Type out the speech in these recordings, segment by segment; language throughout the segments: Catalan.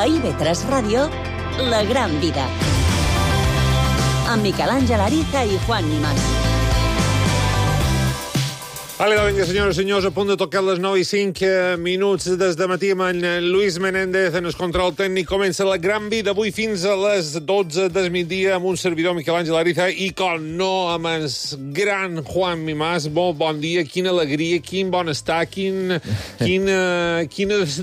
A IB3 Ràdio, La Gran Vida. Amb Miquel Àngel Ariza i Juan Nimas. Vale, vinga, senyores i senyors, a punt de tocar les 9 i 5 minuts des de matí amb en Luis Menéndez en el control tècnic. Comença La Gran Vida avui fins a les 12 del migdia amb un servidor, Miquel Àngel Ariza, i com no, amb el gran Juan Nimas. Bon dia, quina alegria, quin bon estar, quina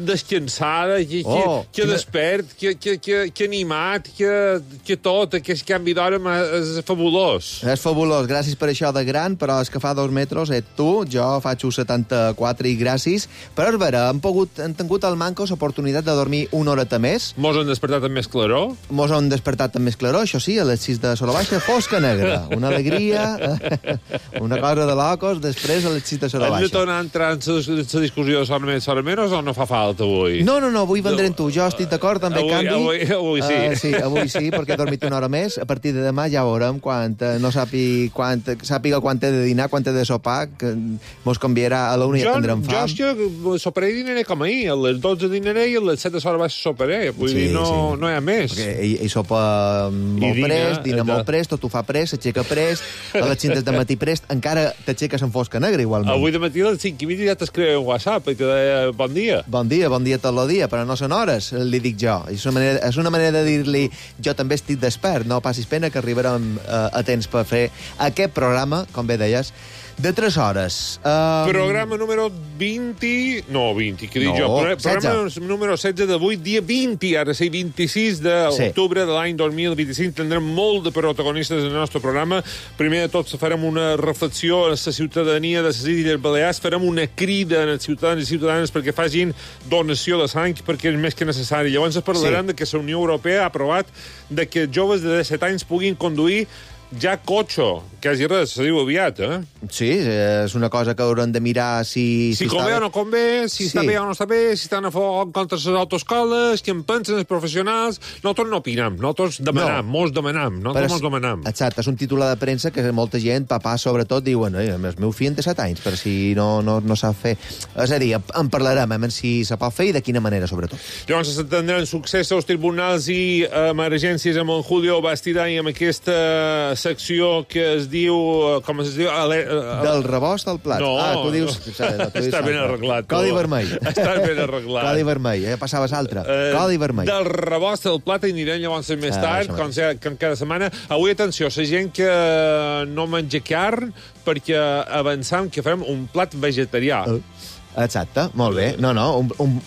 descansada, que despert, que animat, que tot, aquest canvi d'hora és fabulós. És fabulós, gràcies per això de gran, però és que fa 2 metres, tu, jo faig 74 i gràcies. Però és vera, hem tingut al manco l'oportunitat de dormir una horeta més. Mos han despertat amb més claror? Mos han despertat amb més claror, això sí, a les 6 de Sora Baixa, fosca negra. Una alegria, una cosa de locos, després a les 6 de Sora Baixa. Hem de tornar a entrar en la discussió de Sora Menos o no fa falta avui? No, avui vendrem tu. Jo estic d'acord amb el canvi. Avui sí. Sí, avui sí, perquè he dormit una hora més. A partir de demà ja veurem quan no sàpiga quan he de dinar, quan he de sopar, que mos canviarà a l'una i ja tindrem fam. Jo és que soparé i dinaré com ahir. A les 12 dinaré i a les 7 de Sora Baixa soparé. Vull dir, no hi ha més. Perquè ell sopa molt prest, dina molt prest, tot ho fa prest, s'aixeca prest, a les 5 de matí prest, encara t'aixeques en fosca negra, igualment. Avui de matí a les 5:30 ja t'escriu un WhatsApp i te deia bon dia. Bon dia tot el dia, però no són hores, li dic jo. És una manera de dir-li jo també estic despert, no passis pena que arribarem a temps per fer aquest programa, com bé deies, de 3 hores. Programa número 20... No, 20, què dic jo? Programa número 16 d'avui, dia 20, ara sí, 26 d'octubre de l'any 2025. Tindrem molt de protagonistes en el nostre programa. Primer de tot farem una reflexió a la ciutadania de les Illes Balears, farem una crida als ciutadans i ciutadanes perquè facin donació de sang, perquè és més que necessari. Llavors parlarem de que la Unió Europea ha aprovat de que joves de 17 anys puguin conduir ja cotxe, quasi res, se diu aviat, Sí, és una cosa que haurem de mirar si convé o no convé, si està bé o no està bé, si estan a favor contra les autoescoles, què en pensen els professionals. Nosaltres no opinem, nosaltres demanam, mos demanam. Exacte, és un titular de premsa que molta gent, papà sobretot, diuen el meu fill té 7 anys, per si no sap fer. És a dir, en parlarem, si se pot fer i de quina manera, sobretot. Llavors s'atendran succés als tribunals i emergències amb en Julio Bastida i amb aquesta secció que es diu... Com es diu? Del rebost al plat. No. Tu dius... Està ben arreglat. Codi vermell. Està ben arreglat. Codi vermell, passaves altre. Codi vermell. Del rebost al plat anirem llavors més tard, com cada setmana. Avui, atenció, la gent que no menja carn, perquè avançam que farem un plat vegetarià. Exacte, molt bé.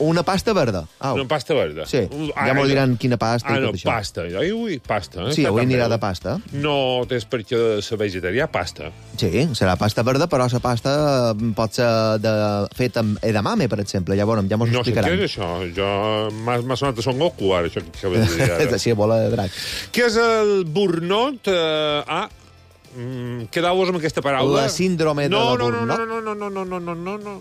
Una pasta verda. Una pasta verda. Sí, ja m'ho diran quina pasta i tot això. Pasta. Avui pasta. Sí, avui anirà de pasta. No és perquè ser vegetarià, pasta. Sí, serà pasta verda, però la pasta pot ser feta amb edamame, per exemple. Ja veurem, ja m'ho explicaran. No sé què és això. M'ha sonat a Son Goku, ara, això que acabes de dir ara. Sí, bola de drac. Què és el Burnout? Quedeu-vos amb aquesta paraula. La síndrome de la Burnout?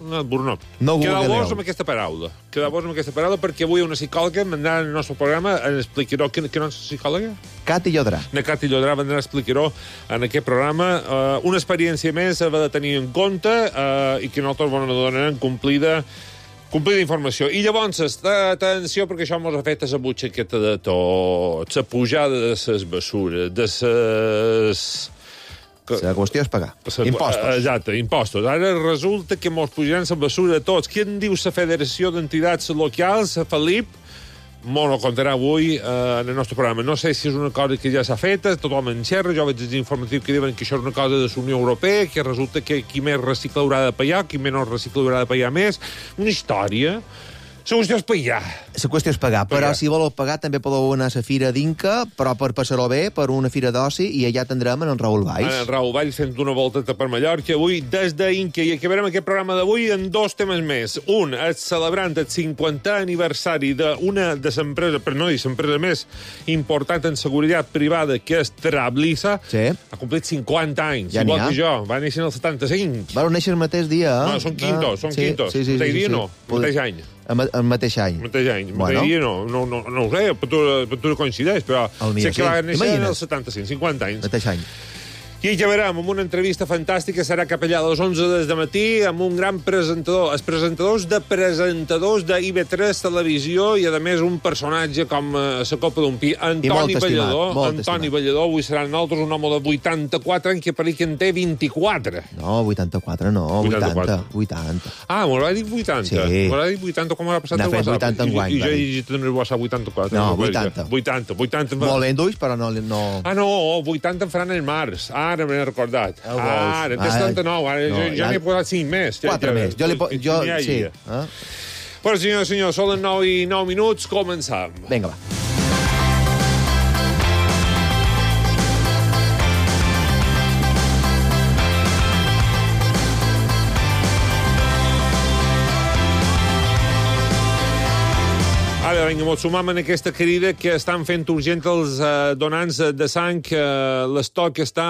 No, Burnout. Quedeu-vos amb aquesta paraula. Quedeu-vos amb aquesta paraula perquè avui una psicòloga vendrà al nostre programa a explicar-ho. Què no és psicòloga? Cati Llodrà. Cati Llodrà vendrà a explicar-ho en aquest programa. Una experiència més ha de tenir en compte i que nosaltres donarem complida informació. I llavors, atenció, perquè això mos ha fet la butxaqueta de tot, la pujada de les bessures, de les... La qüestió és pagar. Impostos. Exacte, impostos. Ara resulta que mos pujaran la bessura a tots. Què en diu la Federació d'Entitats Locals, Felip? M'ho contarà avui en el nostre programa. No sé si és una cosa que ja s'ha feta, tothom en xerra, jo veig els informatius que diuen que això és una cosa de la Unió Europea, que resulta que qui més recicla haurà de pagar, qui menys recicla haurà de pagar més. Una història. La qüestió és pagar. La qüestió és pagar, però si voleu pagar també podeu anar a la Fira d'Inca, però per passar-ho bé, per una fira d'oci, i allà tindrem en Raül Valls. En Raül Valls fent una volteta per Mallorca avui des d'Inca, i acabarem aquest programa d'avui en 2 temes més. Un, celebrant el 50è aniversari d'una de les empreses, per no dir l'empresa més important en seguretat privada, que és Trablissa. Sí. Ha complit 50 anys, ja igual que jo. Va néixer en el 75. Va néixer el mateix dia, No, són quintos. Sí. Mateix dia no, mateix any. El mateix any. Mateix any. Mateix dia no ho sé, per tu no coincideix, però sé que va néixer en el 75, 50 anys. Mateix any. I ja veurem, amb una entrevista fantàstica, serà cap allà a les 11 del matí, amb un gran presentador, els presentadors de IB3 Televisió, i a més un personatge com la copa d'un pi, Antoni Ballador. Antoni Ballador, avui serà nosaltres un home de 84 anys que per que en té 24. No, 84 no, 80. Ah, m'ho dit 80? Sí. M'ho dit 80 com ha passat el WhatsApp. 80 enguany. I jo he llegit en el WhatsApp 84. No, 80. Molt lenduix, però no... Ah, no, 80 en faran el març. Ara m'he recordat. Ara, té 79. Ara ja n'he posat 5 més. 4 més. Jo sí. Però, senyor, són les 9:09, començam. Vinga, va. Ara, vinga, ens sumam en aquesta crida que estan fent urgent els donants de sang. L'estoc està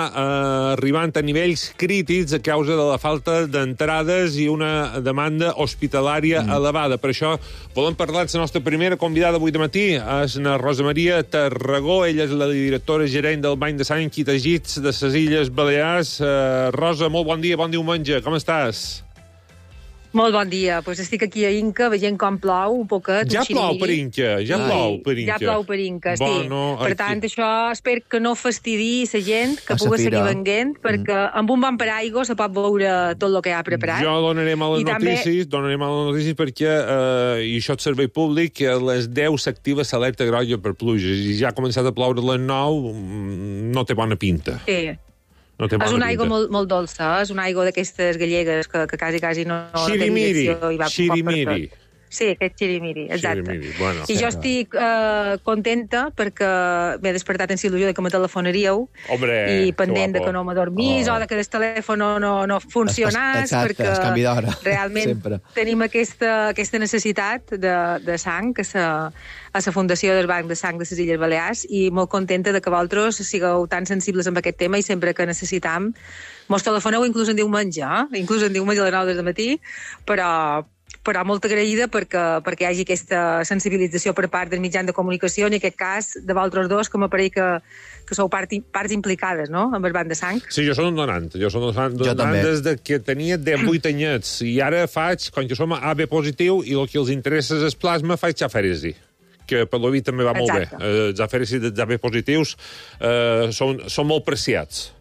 arribant a nivells crítics a causa de la falta d'entrades i una demanda hospitalària elevada. Per això volem parlar amb la nostra primera convidada avui de matí. És la Rosa Maria Tarragó. Ella és la directora gerent del Banc de Sang i Teixits de les Illes Balears. Rosa, molt bon dia, bon diumenge. Com estàs? Molt bon dia. Pues estic aquí a Inca veient com plou un poquet. Ja plou per Inca, Ja plou per Inca, sí. Per tant, això espero que no fastidi la gent que pugui seguir venguent, perquè amb un bon paraigua se pot veure tot el que ha preparat. Jo donaré males notícies perquè, i això és servei públic, que a les 10 s'activa l'alerta groga per pluges, i ja ha començat a ploure a les 9, no té bona pinta. Sí. És una aigua molt dolça, és una aigua d'aquestes gallegues que quasi no... Xirimiri. Sí, aquest xirimiri, exacte. Bueno. I jo estic contenta perquè m'he despertat en il·lusió de que me telefonaríeu i pendent de que no m'adormís o de que el telèfon no funcionés, perquè realment tenim aquesta necessitat de sang a la Fundació del Banc de Sang de les Illes Balears, i molt contenta de que vosaltres sigueu tan sensibles amb aquest tema i sempre que necessitam mos telefoneu, inclús en diumenge, a les 9 del matí, però molt agraïda perquè hi hagi aquesta sensibilització per part del mitjan de comunicació, en aquest cas de vosaltres dos, que m'apareix que sou parts implicades, no?, amb el banc de sang. Sí, jo soc un donant. Jo soc un donant des de que tenia 18 anyets, i ara faig, quan jo som AB positiu, i el que els interessa és el plasma, faig afèresi, que per l'OVI també va molt bé. Els afèresis dels AB positius són molt preciats.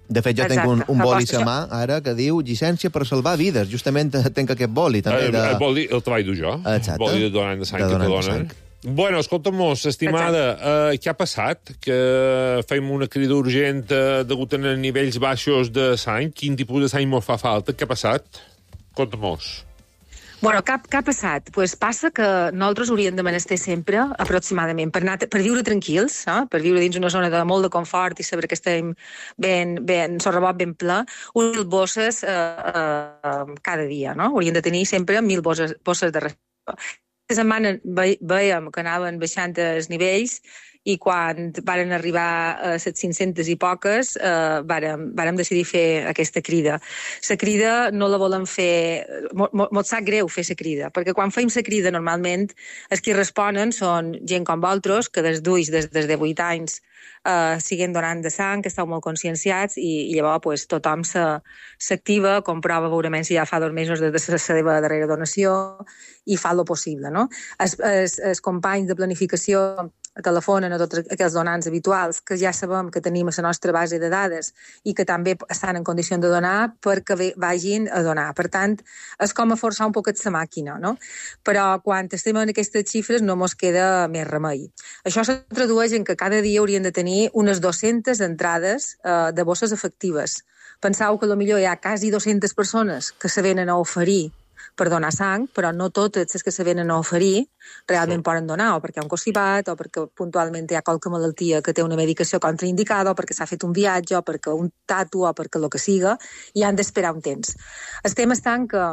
De fet, jo tinc un boli a mà, ara, que diu llicència per salvar vides. Justament tinc aquest boli, també. El boli el treball du jo. Exacte. El boli de donant de sang que te donen. Bueno, escolta-mos, estimada, què ha passat? Que fem una crida urgent degut a nivells baixos de sang? Quin tipus de sang mos fa falta? Què ha passat? Conta-mos. Bueno, què ha passat? Pues passa que nosaltres hauríem de menester sempre, aproximadament, per viure tranquils, per viure dins una zona de molt de confort i saber que estem ben sorrebot, ben ple, 1.000 bosses cada dia, no? Hauríem de tenir sempre 1.000 bosses de respiració. Aquesta setmana veiem que anaven baixant els nivells, i quan varen arribar a les 500 i poques, vàrem decidir fer aquesta crida. La crida no la volem fer... Mos sap greu fer la crida, perquè quan fem la crida, normalment, els que responen són gent com vosaltres, que des de 8 anys siguen donant de sang, que esteu molt conscienciats, i llavors tothom s'activa, comprova veurement si ja fa 2 mesos des de la seva darrera donació, i fa el possible, no? Els companys de planificació telefonen a tots aquells donants habituals que ja sabem que tenim a la nostra base de dades i que també estan en condició de donar perquè vagin a donar. Per tant, és com a forçar un poquet la màquina, no? Però quan estem en aquestes xifres no mos queda més remei. Això se tradueix en que cada dia hauríem de tenir unes 200 entrades de bosses efectives. Penseu que potser hi ha quasi 200 persones que se venen a oferir per donar sang, però no totes les que se venen a oferir realment poden donar, o perquè hi ha un constipat, o perquè puntualment hi ha qualque malaltia que té una medicació contraindicada, o perquè s'ha fet un viatge, o perquè un tatu, o perquè el que siga, i han d'esperar un temps. El tema està en que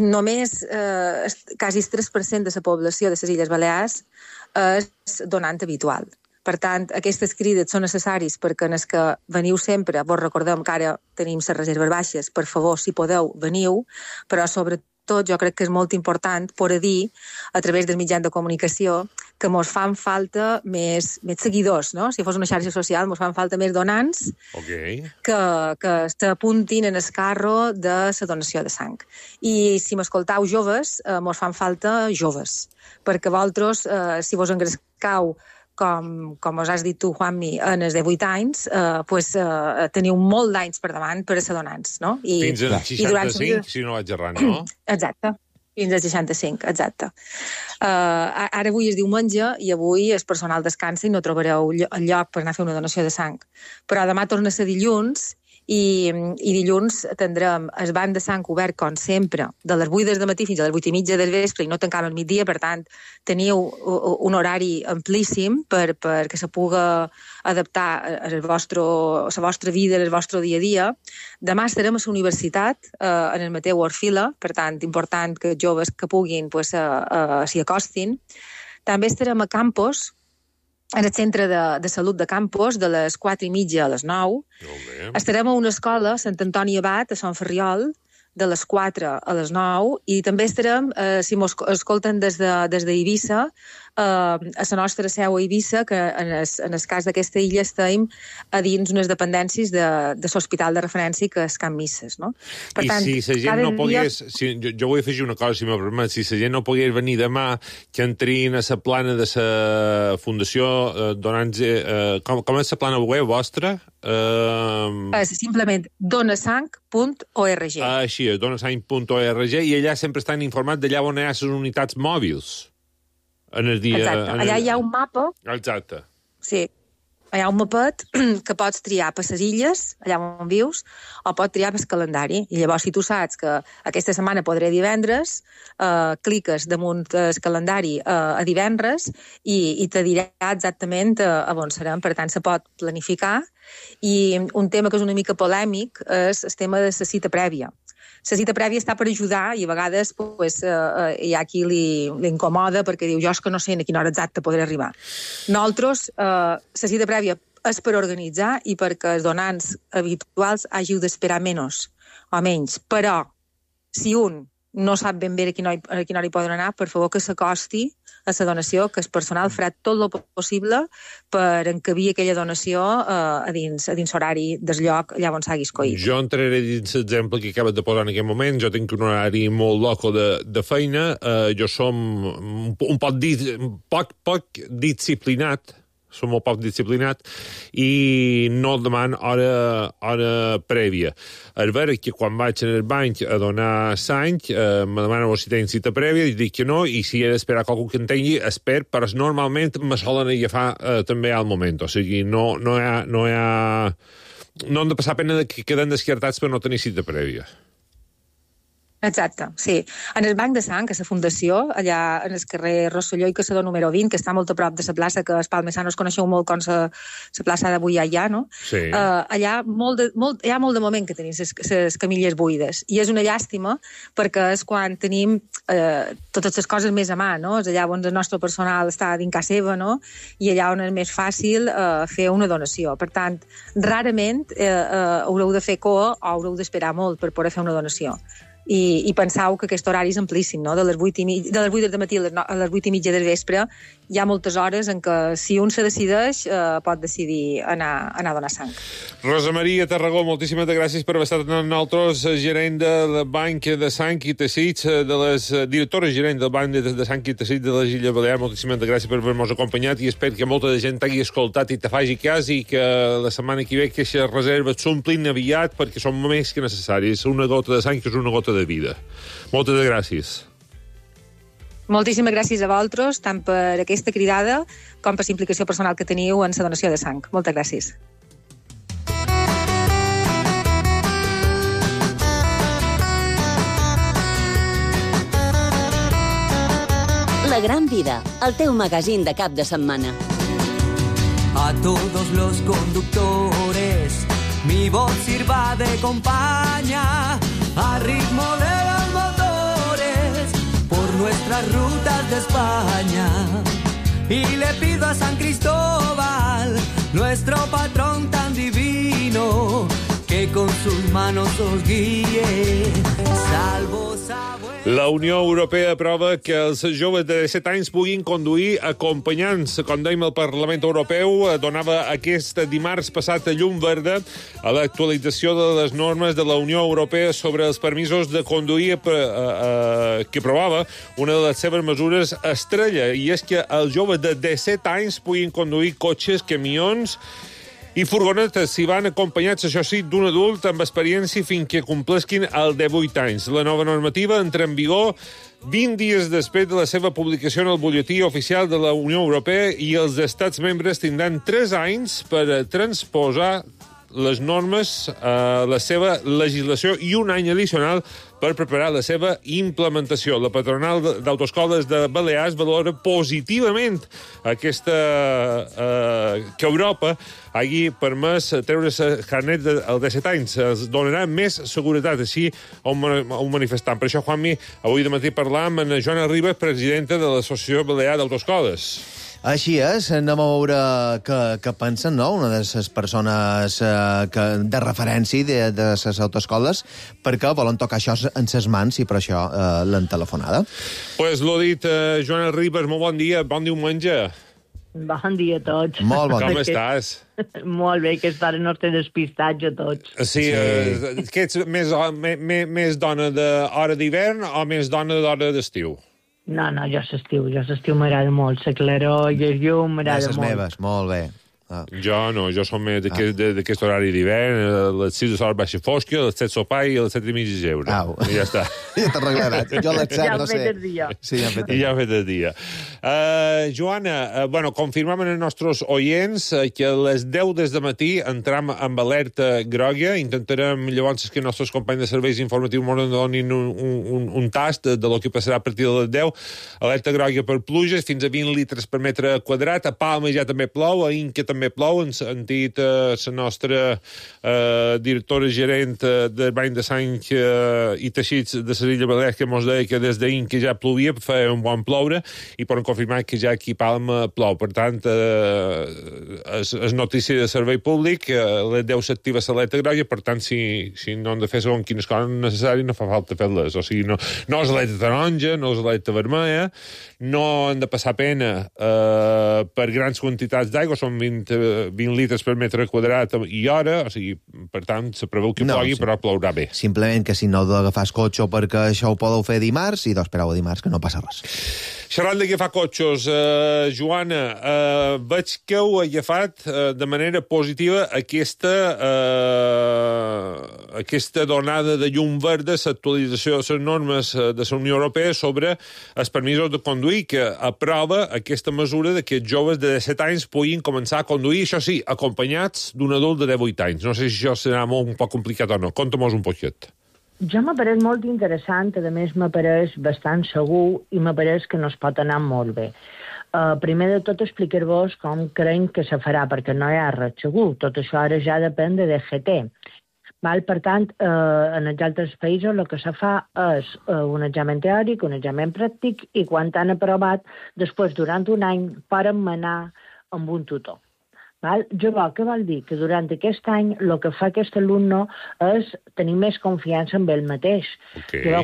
només quasi el 3% de la població de les Illes Balears és donant habitual. Per tant, aquestes crides són necessaris perquè en els que veniu sempre, vos recordem que ara tenim les reserves baixes, per favor, si podeu, veniu, però sobretot jo crec que és molt important poder dir, a través dels mitjans de comunicació, que mos fan falta més seguidors, no? Si fos una xarxa social, mos fan falta més donants que s'apuntin en el carro de la donació de sang. I si m'escoltau joves, mos fan falta joves, perquè vosaltres, si vos engrescau com us has dit tu, Juanmi, en els 18 anys, teniu molt d'anys per davant per a ser donants, no? Fins als 65, si no vaig errant, no? Exacte, fins als 65, exacte. Ara avui és diumenge i avui el personal descansa i no trobareu el lloc per anar a fer una donació de sang. Però demà torna a ser dilluns i dilluns tindrem el banc de sang obert, com sempre, de les 8 del matí fins a les 8:30 del vespre i no tancam al migdia, per tant, teniu un horari amplíssim perquè se puga adaptar a la vostra vida, al vostre dia a dia. Demà estarem a la universitat, en el Mateu Orfila, per tant, important que els joves que puguin s'hi acostin. També estarem a Campos, en el centre de salut de Campos, de les 4:30 a les 9. Estarem a una escola, Sant Antoni Abat, a Sant Ferriol, de les 4 a les 9, i també estarem, si mos escolten des d'Eivissa, a la nostra seu a Eivissa, que en el cas d'aquesta illa estem a dins unes dependències de l'hospital de referència, que és Can Misses, no? Per tant, si la gent no pogués... Jo vull afegir una cosa, si m'ho permet. Si la gent no pogués venir demà, que entrin a la plana de la Fundació Donants... Com és la plana web vostra? És simplement donasang.org. Així és, donasang.org, i allà sempre estan informats d'allà on hi ha les unitats mòbils. Exacte. Allà hi ha un mapa. Exacte. Sí. Hi ha un mapet que pots triar per les illes, allà on vius, o pots triar per el calendari. I llavors, si tu saps que aquesta setmana podré divendres, cliques damunt el calendari a divendres i te dirà exactament on serem. Per tant, se pot planificar. I un tema que és una mica polèmic és el tema de la cita prèvia. La cita prèvia està per ajudar i a vegades hi ha qui li incomoda perquè diu, jo és que no sé a quina hora exacta podré arribar. Nosaltres, la cita prèvia és per organitzar i perquè els donants habituals hàgiu d'esperar menys o menys. Però, si un no sap ben bé a quina hora hi poden anar, per favor que s'acosti a la donació, que el personal farà tot el possible per encabir aquella donació a dins horari del lloc allà on s'hagi escollit. Jo entraré dins l'exemple que acabes de posar en aquest moment. Jo tinc un horari molt loco de feina. Jo som un poc disciplinat, som molt poc disciplinat i no deman hora prèvia. És vera que quan vaig en el banc a donar sang, me demanen si tenen cita prèvia, i dic que no, i si he d'esperar qualcú que en tingui, però normalment me solen agafar també al moment. O sigui, no hem de passar pena que queden descartats per no tenir cita prèvia. Exacte, sí. En el banc de sang, a la Fundació, allà en el carrer Rosselló i Caçador número 20, que està molt a prop de la plaça, que els palmesanos coneixeu molt com la plaça d'avui allà, no? Sí. Allà hi ha molt de moment que tenim les camilles buides. I és una llàstima perquè és quan tenim totes les coses més a mà, no? És allà on el nostre personal està dins casa seva, no? I allà on és més fàcil fer una donació. Per tant, rarament haureu de fer cua o haureu d'esperar molt per poder fer una donació. I pensau que aquest horari és amplíssim, no? De les 8 del matí a les 8:30 del vespre hi ha moltes hores en què si un se decideix pot decidir anar a donar sang. Rosa Maria Tarragó, moltíssimes gràcies per haver estat amb nosaltres, gerent del Banc de Sang i Teixits, directora gerent del Banc de Sang i Teixits de les Illes Balears. Moltíssimes gràcies per haver-nos acompanyat i espero que molta de gent t'hagi escoltat i te faci cas i que la setmana que ve aquestes reserves s'omplin aviat perquè són més que necessàries. Una gota de sang que és una gota de vida. Moltes gràcies. Moltíssimes gràcies a vosaltres, tant per aquesta cridada com per la implicació personal que teniu en la donació de sang. Moltes gràcies. La Gran Vida, el teu magazín de cap de setmana. A todos los conductores, mi voz sirva de compañía, a ritmo de los motores, por nuestras rutas de España. Y le pido a San Cristóbal, nuestro patrón tan divino, que que con sus manos os guíe. Salvo saber... La Unió Europea aprova que els joves de 17 anys puguin conduir acompanyants. Com dèiem, el Parlament Europeu donava aquest dimarts passat llum verda a l'actualització de les normes de la Unió Europea sobre els permisos de conduir que aprovava una de les seves mesures estrella, i és que els joves de 17 anys puguin conduir cotxes, camions i furgonetes si van acompanyats, això sí, d'un adult amb experiència fins que complesquin el 18 anys. La nova normativa entra en vigor 20 dies després de la seva publicació en el butlletí oficial de la Unió Europea, i els estats membres tindran 3 anys per transposar les normes a la seva legislació i un any addicional per preparar la seva implementació. La patronal d'autoescoles de Balears valora positivament aquesta que Europa hagi permès treure's carnet als 17 anys. Es donarà més seguretat, així a un manifestant. Per això, Juanmi, avui de matí parlàvem amb Joana Ribas, presidenta de l'Associació Balear d'Autoescoles. Així és, anem a veure què pensen, no?, una de les persones de referència de les autoescoles, perquè volen tocar això en ses mans i per això l'han telefonada. Pues l'ho dit, Joana Ribas, molt bon dia, bon diumenge. Bon dia a tots. Molt bon dia. Com estàs? Molt bé, que estarem no estem despistats a tots. Sí, que ets més dona d'hora d'hivern o més dona d'hora d'estiu? No, jo l'estiu m'agrada molt, la claror i el llum m'agrada molt. Les meves, molt bé. Jo no, jo som més d'aquest horari d'hivern, a les 6 de sol baixa fosca, a les 7 sopar i a les 7 i mig geure. I ja està. Ja t'arreglaràs. Jo a les 7 no sé. Ja hem fet el dia. Sí, ja hem fet el dia. Joana, confirmem als nostres oients que a les 10 des de matí entram amb alerta groga. Intentarem llavors que els nostres companys de serveis informatius ens donin un tast de lo que passarà a partir de les 10. Alerta groga per pluges, fins a 20 litres per metre quadrat. A Palma ja també plou, a Inca també plou. Ens han dit la nostra directora gerent del Bany de Sang i Teixits de les Illes Balears, que ens deia que des d'Inca ja plovia, feia un bon ploure, i poden confirmar que ja aquí a Palma plou. Per tant, és notícia de servei públic, a les 10 s'activa l'alerta groga, per tant, si no han de fer segons quines coses necessàries, no fa falta fer-les. O sigui, no és alerta taronja, no és alerta vermella, no han de passar pena per grans quantitats d'aigua, són 20 litres per metre quadrat i hora, o sigui, per tant, se preveu que plogui, però plourà bé. Simplement que si no heu d'agafar el cotxe perquè això ho podeu fer dimarts, i espereu a dimarts, que no passa res. Xerrant d'agafar cotxes, Joana, veig que heu agafat de manera positiva aquesta donada de llum verda, l'actualització de les normes de la Unió Europea sobre els permisos de conduir, que aprova aquesta mesura de que els joves de 17 anys puguin començar a conduir, això sí, acompanyats d'un adult de 18 anys. No sé si això serà un poc complicat o no. Conta-mos un poquet. Jo m'apareix molt interessant, a més m'apareix bastant segur i m'apareix que no es pot anar molt bé. Primer de tot explicar-vos com creiem que se farà, perquè no hi ha res segur. Tot això ara ja depèn de DGT. Per tant, en els altres països el que se fa és un examen teòric, un examen pràctic, i quan han aprovat, després, durant un any, poden anar amb un tutor. Què vol dir? Que durant aquest any el que fa aquest alumne és tenir més confiança en ell mateix.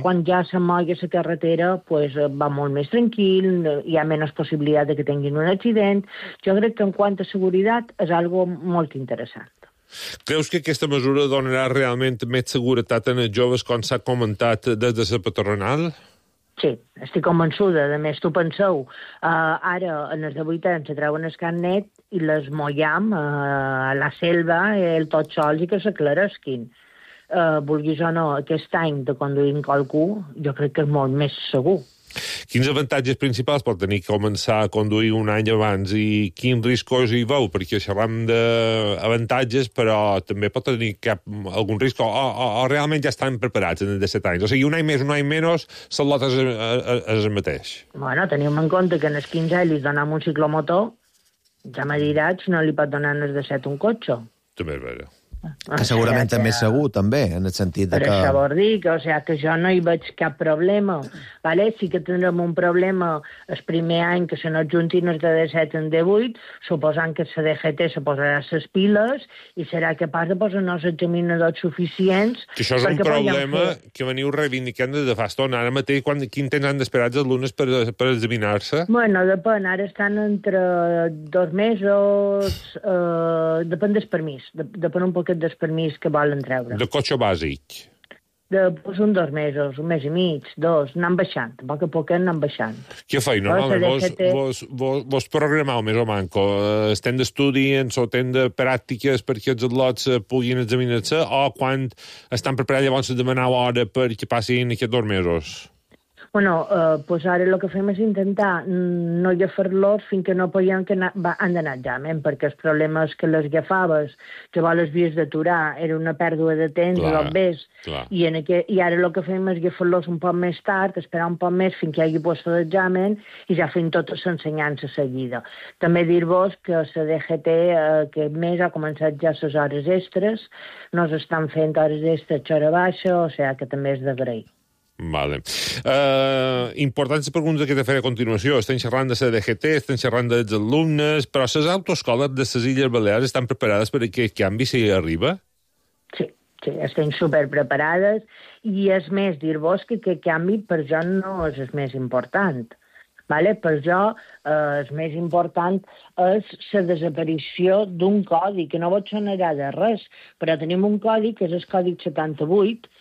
Quan ja se mogui a la carretera, va molt més tranquil, hi ha menys possibilitat que tinguin un accident. Jo crec que en quant a seguretat és algo molt interessant. Creus que aquesta mesura donarà realment més seguretat en els joves, com s'ha comentat des de la patronal? Sí, estic convençuda. A més, tu penseu, ara en els 18 anys se treuen el carnet i les mollam a la selva, tots sols, i que s'aclaresquin. Vulguis o no, aquest any de conduir qualcú, jo crec que és molt més segur. Quins avantatges principals pot tenir començar a conduir un any abans i quins riscos hi veu? Perquè xerram d'avantatges, però també pot tenir algun risc o realment ja estan preparats en els 17 anys. O sigui, un any més, un any menys, la lota és el mateix. Bueno, tenim en compte que en els 15 anys li donem un ciclomotor, ja me diràs, no li pot donar en els 17 un cotxe. També és vera. Que segurament també és segur, també, en el sentit de que... Per això vol dir que, que jo no hi veig cap problema. Vale? Sí que tindrem un problema el primer any que se no juntin els de D7 en D8, suposant que la DGT se posarà les piles i serà capaç de posar els examinadors suficients... Que això és un problema que veniu reivindicant des de fa estona. Ara mateix, quin temps han d'esperar els alumnes per examinar-se? Bueno, depèn. Ara estan entre 2 mesos... depèn del permís. Depèn un poquet del permís que volen treure. De cotxe bàsic? Pues 2 mesos, 1 mes i mig, 2, anant baixant. A poc anant baixant. Què fai? Normalment vos programeu més o manco? Estem d'estudiants o estem de pràctiques perquè els atlots puguin examinar-se o quan estan preparats llavors demaneu hora perquè passin aquests 2 mesos? Bueno, pues ara el que fem és intentar no agafar-los fins que no podien que han d'anar a examen, perquè el problema és que les agafaves, que les havies d'aturar, era una pèrdua de temps, i ara el que fem és agafar-los un poc més tard, esperar un poc més fins que hi hagi puesto d'examen i ja fem tota l'ensenyança seguida. També dir-vos que la DGT aquest mes ha començat ja les hores extres, no s'estan fent hores extres hora baixa, o sigui que també és d'agrair. Vale. Importants preguntes que t'he de fer a continuació. Estem xerrant de la DGT, estem xerrant dels alumnes, però les autoescoles de les Illes Balears estan preparades per aquest canvi si arriba? Sí, estem superpreparades i és més, dir-vos que aquest canvi per jo no és el més important. Vale? Per jo el més important és la desaparició d'un codi, que no vos sonarà de res, però tenim un codi que és el codi 78,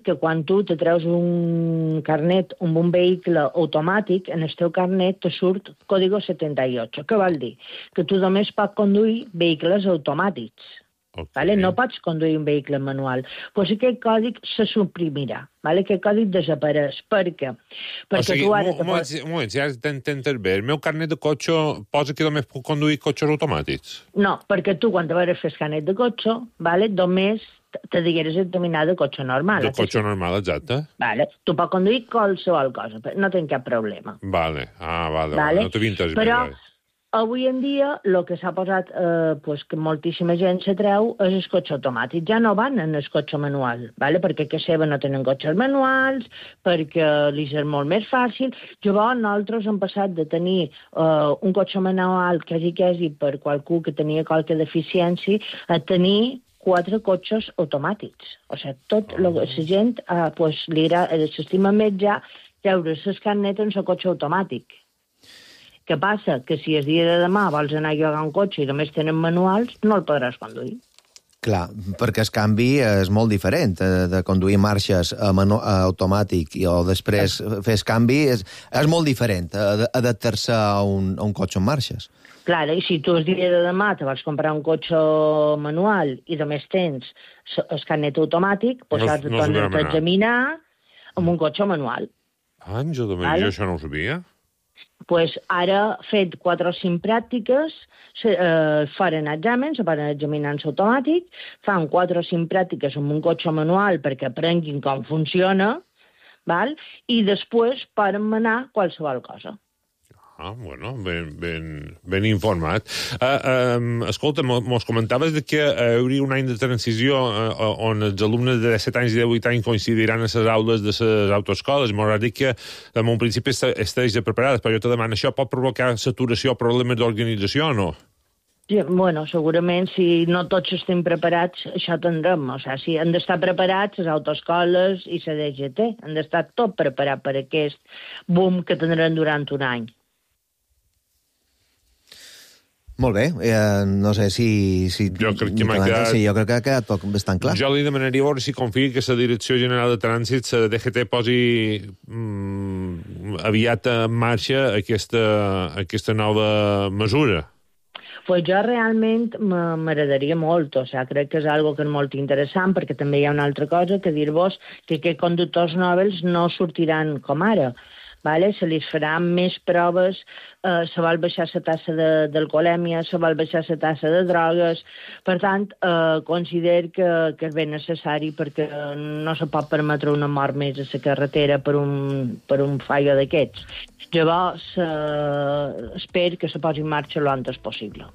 que quan tu te treus un carnet amb un vehicle automàtic, en el teu carnet te surt código 78. Què vol dir? Que tu només pots conduir vehicles automàtics. Okay. No pots conduir un vehicle manual. Doncs aquest codi se suprimirà. Aquest codi desapareix. Per què? Perquè tu ara... Un moment, si ara t'entens bé, el meu carnet de cotxe posa que només puc conduir cotxes automàtics? No, perquè tu quan te vas fer el carnet de cotxe, només te digueres examinar de cotxe normal. De cotxe normal, exacte. Tu pots conduir qualsevol cosa, no tens cap problema. Vale. No t'he vist bé. Però avui en dia el que s'ha posat, que moltíssima gent se treu, és el cotxe automàtic. Ja no van en el cotxe manual, perquè que seva no tenen cotxes manuals, perquè li és molt més fàcil. Llavors, nosaltres hem passat de tenir un cotxe manual quasi per qualcú que tenia qualque deficiència a tenir 4 cotxes automàtics. O sigui, la gent s'estima més ja treure el carnet en el cotxe automàtic. Què passa? Que si el dia de demà vols anar a llogar un cotxe i només tenen manuals, no el podràs conduir. Clar, perquè el canvi és molt diferent de conduir marxes automàtic o després fer el canvi és molt diferent adaptar-se a un cotxe en marxes. Clar, i si tu el dia de demà te vas comprar un cotxe manual i només tens el carnet automàtic, doncs has de tornar a examinar amb un cotxe manual. Jo això no ho sabia. Pues ara, fet 4 o 5 pràctiques, faran exàmens, se poden examinar en automàtic, fan 4 o 5 pràctiques amb un cotxe manual perquè aprenguin com funciona, i després poden manar qualsevol cosa. Bueno, ben informat. Escolta, mos comentaves que hi hauria un any de transició on els alumnes de 17 anys i 18 anys coincidiran a les aules de les autoescoles. M'haurà dit que en un principi estigués preparades, però jo te demano, això pot provocar saturació o problemes d'organització o no? Sí, bueno, segurament, si no tots estem preparats, això tindrem. O sigui, han d'estar preparats les autoescoles i la DGT. Han d'estar tot preparat per aquest boom que tindran durant un any. Molt bé, no sé si... Jo crec que m'ha quedat... Sí, jo crec que ha quedat tot bastant clar. Jo li demanaria a veure si confia que la Direcció General de Trànsit, la DGT, posi aviat en marxa aquesta nova mesura. Pues jo realment m'agradaria molt, o sigui, crec que és algo que és molt interessant, perquè també hi ha una altra cosa que dir-vos que aquests conductors noves no sortiran com ara. Se li faran més proves, se vol baixar la tassa d'alcoholèmia, se vol baixar la tassa de drogues. Per tant, considero que és ben necessari perquè no se pot permetre una mort més a la carretera per un fallo d'aquests. Llavors, espero que se posi en marxa l'antes possible.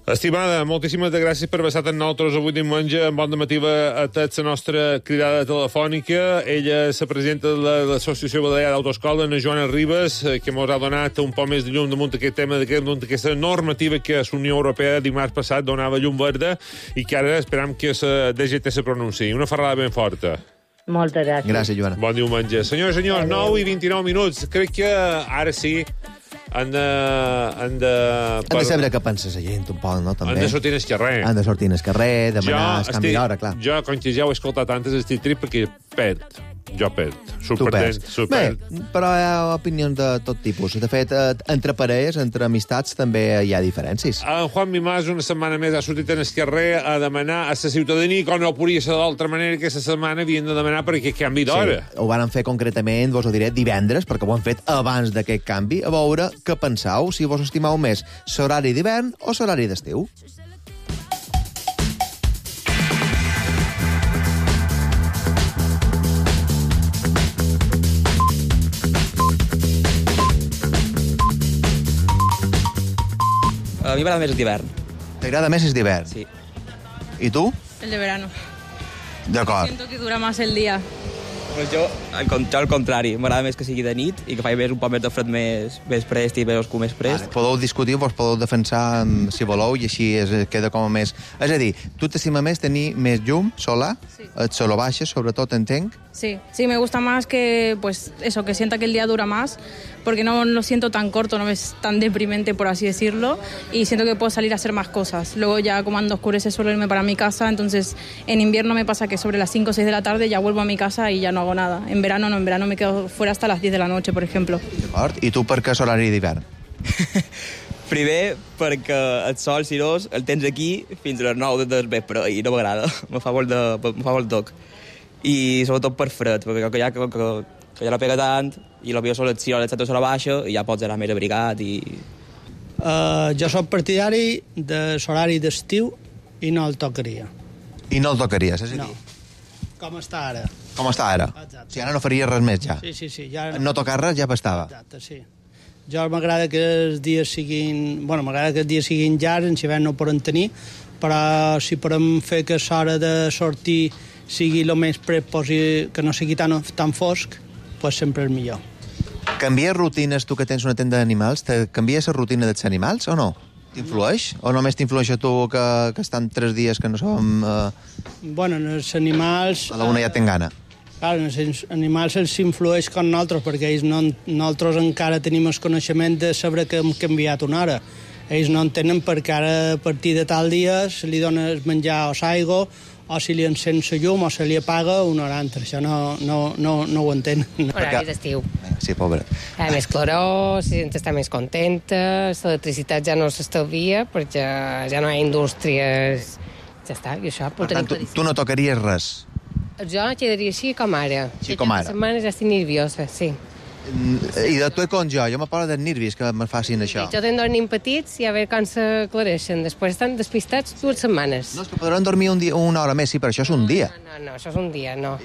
Estimada, moltíssimes gràcies per haver estat amb nosaltres avui diumenge en Bon Dematí a tots la nostra cridada telefònica. Ella és la presidenta de l'Associació Balear d'Autoescola, Ana Joana Ribas, que ens ha donat un poc més de llum damunt aquest tema, damunt aquesta normativa que la Unió Europea dimarts passat donava llum verda i que ara esperam que la DGT se pronunciï. Una ferrada ben forta. Moltes gràcies. Gràcies, Joana. Bon diumenge. Senyors i senyors, 9:29 minuts. Crec que ara sí han de saber què pensa la gent, un poc, no? També. Han de sortir al carrer. Han de sortir al carrer, demanar el canvi d'hora, clar. Jo, com que ja ho he escoltat antes, estic trist perquè perd. Jo perd. Bé, però hi ha opinions de tot tipus. De fet, entre parelles, entre amistats, també hi ha diferències. En Juan Mimàs una setmana més ha sortit en el carrer a demanar a la ciutadania, com no podria ser d'altra manera, que aquesta setmana havien de demanar perquè canvi d'hora. Sí, ho van fer concretament, vos ho diré, divendres, perquè ho han fet abans d'aquest canvi, a veure què penseu, si vos estimeu més l'horari d'hivern o l'horari d'estiu. A mi m'agrada més el d'hivern. T'agrada més el d'hivern? Sí. I tu? El de verano. D'acord. Siento que dura más el día. Pues jo, al contrari, m'agrada més que sigui de nit i que faci més un poc més de fred més prest i més oscur més prest. Vale, podeu discutir, vos podeu defensar si voleu i així queda com a més... És a dir, tu t'estima més tenir més llum solar? Sí. Et solo baixes, sobretot, entenc? Sí, me gusta más que, pues, eso, que sienta que el día dura más, porque no lo siento tan corto, no es tan deprimente, por así decirlo, y siento que puedo salir a hacer más cosas. Luego ya cuando oscurece suelo irme para mi casa, entonces en invierno me pasa que sobre las 5 o 6 de la tarde ya vuelvo a mi casa y ya no hago nada. En verano no, en verano me quedo fuera hasta las 10 de la noche, por ejemplo. D'acord. I tu per què l'horari d'hivern? Primer, perquè el sol cirós el tens aquí fins a les 9 del vespre i no m'agrada, me fa molt toc. I sobretot per fred, perquè que ja la pega tant i l'opció sol si l'hora de la baixa i ja pots anar més abrigat i... Jo soc partidari de l'horari d'estiu i no el tocaria. I no el tocaries, és a dir? No. Com està ara. Com està ara? Exacte. O sigui, ara no faries res més, ja. Sí. Ja... No tocar res ja bastava. Exacte, sí. Jo m'agrada que els dies siguin... Bueno, m'agrada que els dies siguin llargs, en hivern no ho podem tenir, però si podem fer que l'hora de sortir sigui el més pres possible, que no sigui tan fosc, pues sempre és millor. Canvies rutines, tu que tens una tenda d'animals, canvies la rutina dels animals o no? T'influeix? O només t'influeix a tu que estan 3 dies que no som... Bueno, els animals... A la una ja ten gana. Clar, els animals els influeix com nosaltres, perquè ells nosaltres encara tenim el coneixement de saber que hem canviat una hora. Ells no en tenen perquè ara a partir de tal dia se li dona el menjar o l'aigua, o si li encén la llum o se li apaga una hora altra. Això no ho entén. Horari d'estiu. Sí, pobre. Hi ha més claror, la gent està més contenta, l'electricitat ja no s'estalvia perquè ja no hi ha indústries. Ja està, i això... Per tant, tu no tocaries res? Jo quedaria així com ara. Així com ara. Aquesta setmana ja estic nerviosa, sí. I de tu com jo me parla de nervis que me facin això. Jo tenc 2 nens petits i a veure com s'aclareixen. Després estan despistats 2 setmanes. No, és que podran dormir una hora més, sí, però això és un dia. No, això és un dia, no.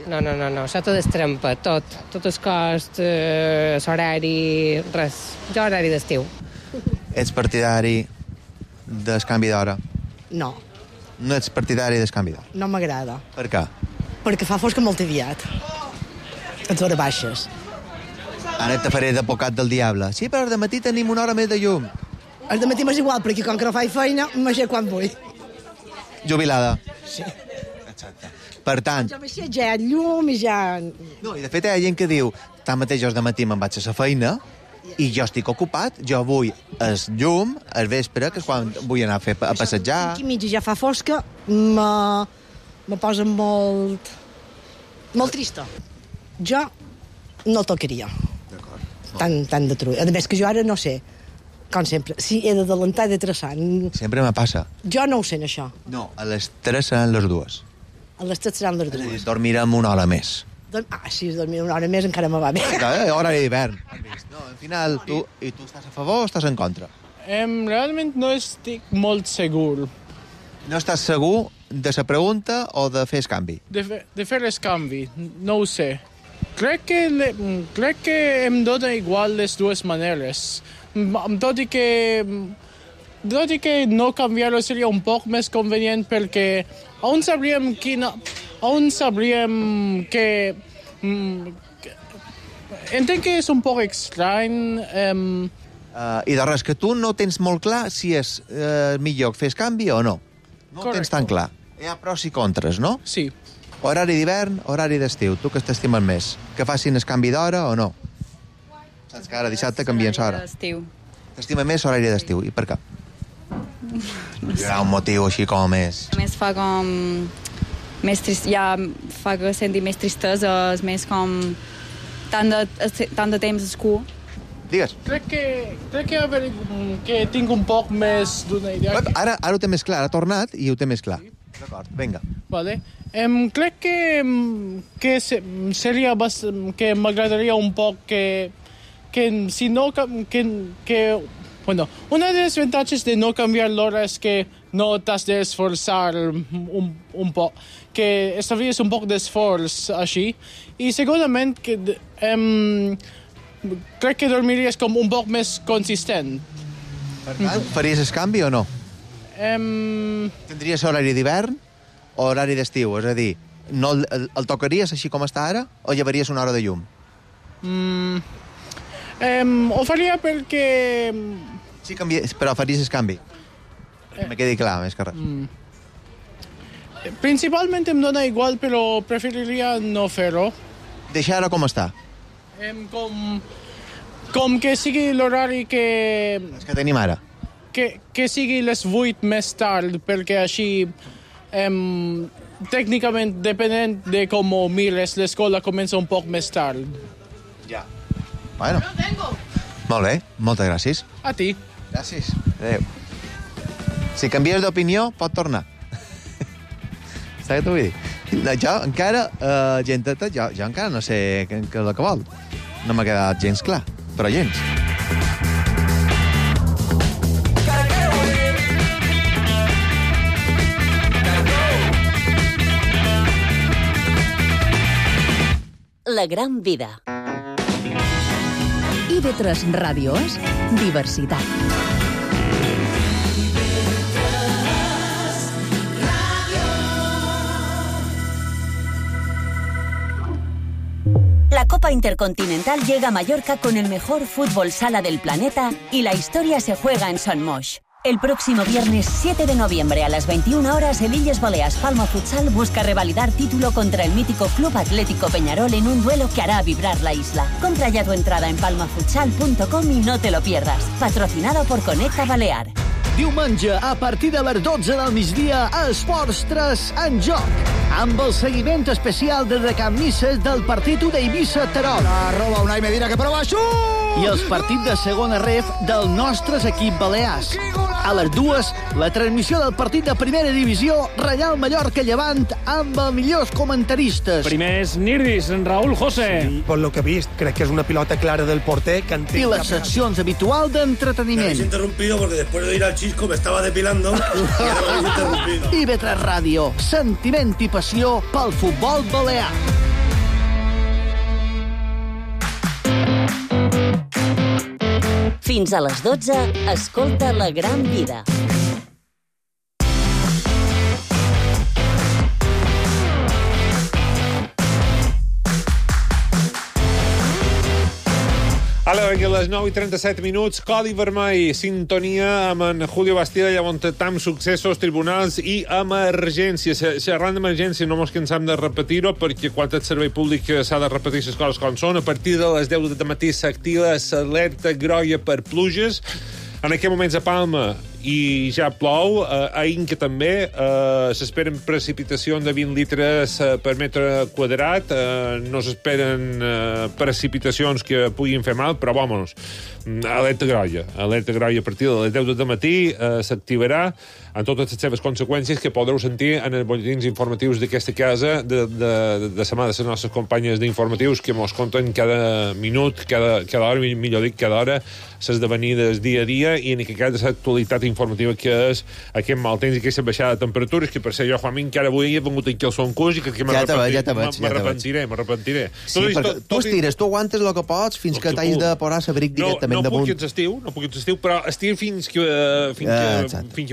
Això tot es trempa, tot. Tot el cost, l'horari, res. Jo horari d'estiu. Ets partidari del canvi d'hora? No. No ets partidari del canvi d'hora? No m'agrada. Per què? Perquè fa fosca molt aviat. A hores baixes. Ara te faré d'advocat del diable. Sí, però de matí tenim una hora més de llum. El de matí m'és igual, perquè com que no faig feina, m'aixec quan vull. Jubilada. Sí. Exacte. Per tant... Jo m'aixec ja llum i ja... No, i de fet hi ha gent que diu tanmateix jo de matí me'n vaig a la feina i jo estic ocupat, jo vull el llum, al vespre, que és quan vull anar a passejar... Aquí mitja ja fa fosca, me posa molt trista. Jo no tocaria. Tan de trull. A més que jo ara no sé, com sempre, si he d'adelantar i de traçar. Sempre me passa. Jo no ho sé, això. No, a les 3 seran les 2. A les 3 seran les 2. És a dir, dormirem una hora més. Si dormir una hora més encara me va bé. Horari d'hivern. No, al final, tu estàs a favor o estàs en contra? Realment no estic molt segur. No estàs segur de la pregunta o de fer el canvi? De fer el canvi, no ho sé. Crec que em dona igual les dues maneres. Tot i que dic que no canviar-ho seria un poc més convenient perquè on sabríem que... entenc que és un poc estrany... I de res, que tu no tens molt clar si és millor fer canvi o no. No ho tens tan clar. Hi ha pros i contres, no? Sí. Horari d'hivern, horari d'estiu. Tu que t'estimes més? Que facin el canvi d'hora o no? Saps que ara dissabte canvien l'hora. T'estima més horari d'estiu. I per què? No sé. Hi ha un motiu així com més... A més fa com... ja fa que senti més tristesa, és més com... tant de temps escú. Digues. Crec que tinc un poc més d'una idea. Ara ho té més clar, ha tornat i ho té més clar. D'acord, vinga. Vale. Crec que seria que m'agradaria un poc que si no... Bueno, una de les avantatges de no canviar l'hora és que no t'has d'esforçar un poc, que estalvies un poc d'esforç així, i segurament que crec que dormiries com un poc més consistent. Per tant, faries el canvi o no? Tindries horari d'hivern o horari d'estiu? És a dir, no el tocaries així com està ara o llevaries una hora de llum? Ho faria perquè... Sí, però faries el canvi. Me quedi clar, més que res. Principalment em dona igual, però preferiria no fer-ho. Deixar ara com està? Com que sigui l'horari que... És que tenim ara. Que sigui les 8 més tard, perquè així, tècnicament, depenent de com ho mires, l'escola comença un poc més tard. Ja. Bueno. Molt bé, moltes gràcies. A ti. Gràcies. Adéu. Si canvies d'opinió, pot tornar. Saps què t'ho vull dir? Jo encara, genteta, jo encara no sé què és el que vol. No m'ha quedat gens clar, però gens. La gran vida. IB3 Ràdio és diversitat. La Copa Intercontinental llega a Mallorca con el mejor fútbol sala del planeta y la historia se juega en Son Moix. El próximo viernes 7 de noviembre a las 21 horas, el Illes Balears Palma Futsal busca revalidar título contra el mítico Club Atlético Peñarol en un duelo que hará vibrar la isla. Compra ya tu entrada en palmafutsal.com y no te lo pierdas. Patrocinado por Conecta Balear. Diumenge, a partir de les 12 del migdia, Esports 3 en joc, amb el seguiment especial de recanmisses del partit d'Eivissa-Terol. Arroba Unai Medina, que prova xut! I els partits de segona ref del nostre equip balears. A les 2, la transmissió del partit de primera divisió, Reial Mallorca-Llevant, amb els millors comentaristes. Primers Nirdis, Raúl José. Sí, per lo que he vist, crec que és una pilota clara del porter. Que I les seccions habituals d'entreteniment. Me habéis interrumpido porque después de ir al Chisco me estaba depilando y ahora me habéis interrumpido. IB3 Ràdio, sentiment i passió pel futbol balear. Fins a les 12, escolta La Gran Vida. Ara, a les 9:37, Codi Vermell, sintonia amb en Julio Bastida, llavors tam successos, tribunals i emergències. Xerrant d'emergència no mos cansam de repetir-ho, perquè quan el servei públic s'ha de repetir les coses com són. A partir de les 10 del matí s'activa l'alerta groga per pluges. En aquest moments a Palma i ja plou, a Inca també s'esperen precipitacions de 20 litres per metre quadrat, no s'esperen precipitacions que puguin fer mal, però vamos, alerta groga a partir de les 10 del matí s'activarà amb totes les seves conseqüències que podreu sentir en els boletins informatius d'aquesta casa de la mà de les nostres companyes d'informatius que mos conten cada minut, cada hora, millor dit, cada hora, s'esdevenir del dia a dia i en aquest cas l'actualitat informativa que és aquest mal temps i aquesta baixada de temperatures, que per ser jo, Juanmi, encara avui he vengut aquí al Soncurs i que m'arrepentiré. Sí, perquè tu estires, tu aguantes el que pots fins que t'has de posar l'abric directament damunt. No puc estiu, però estir fins que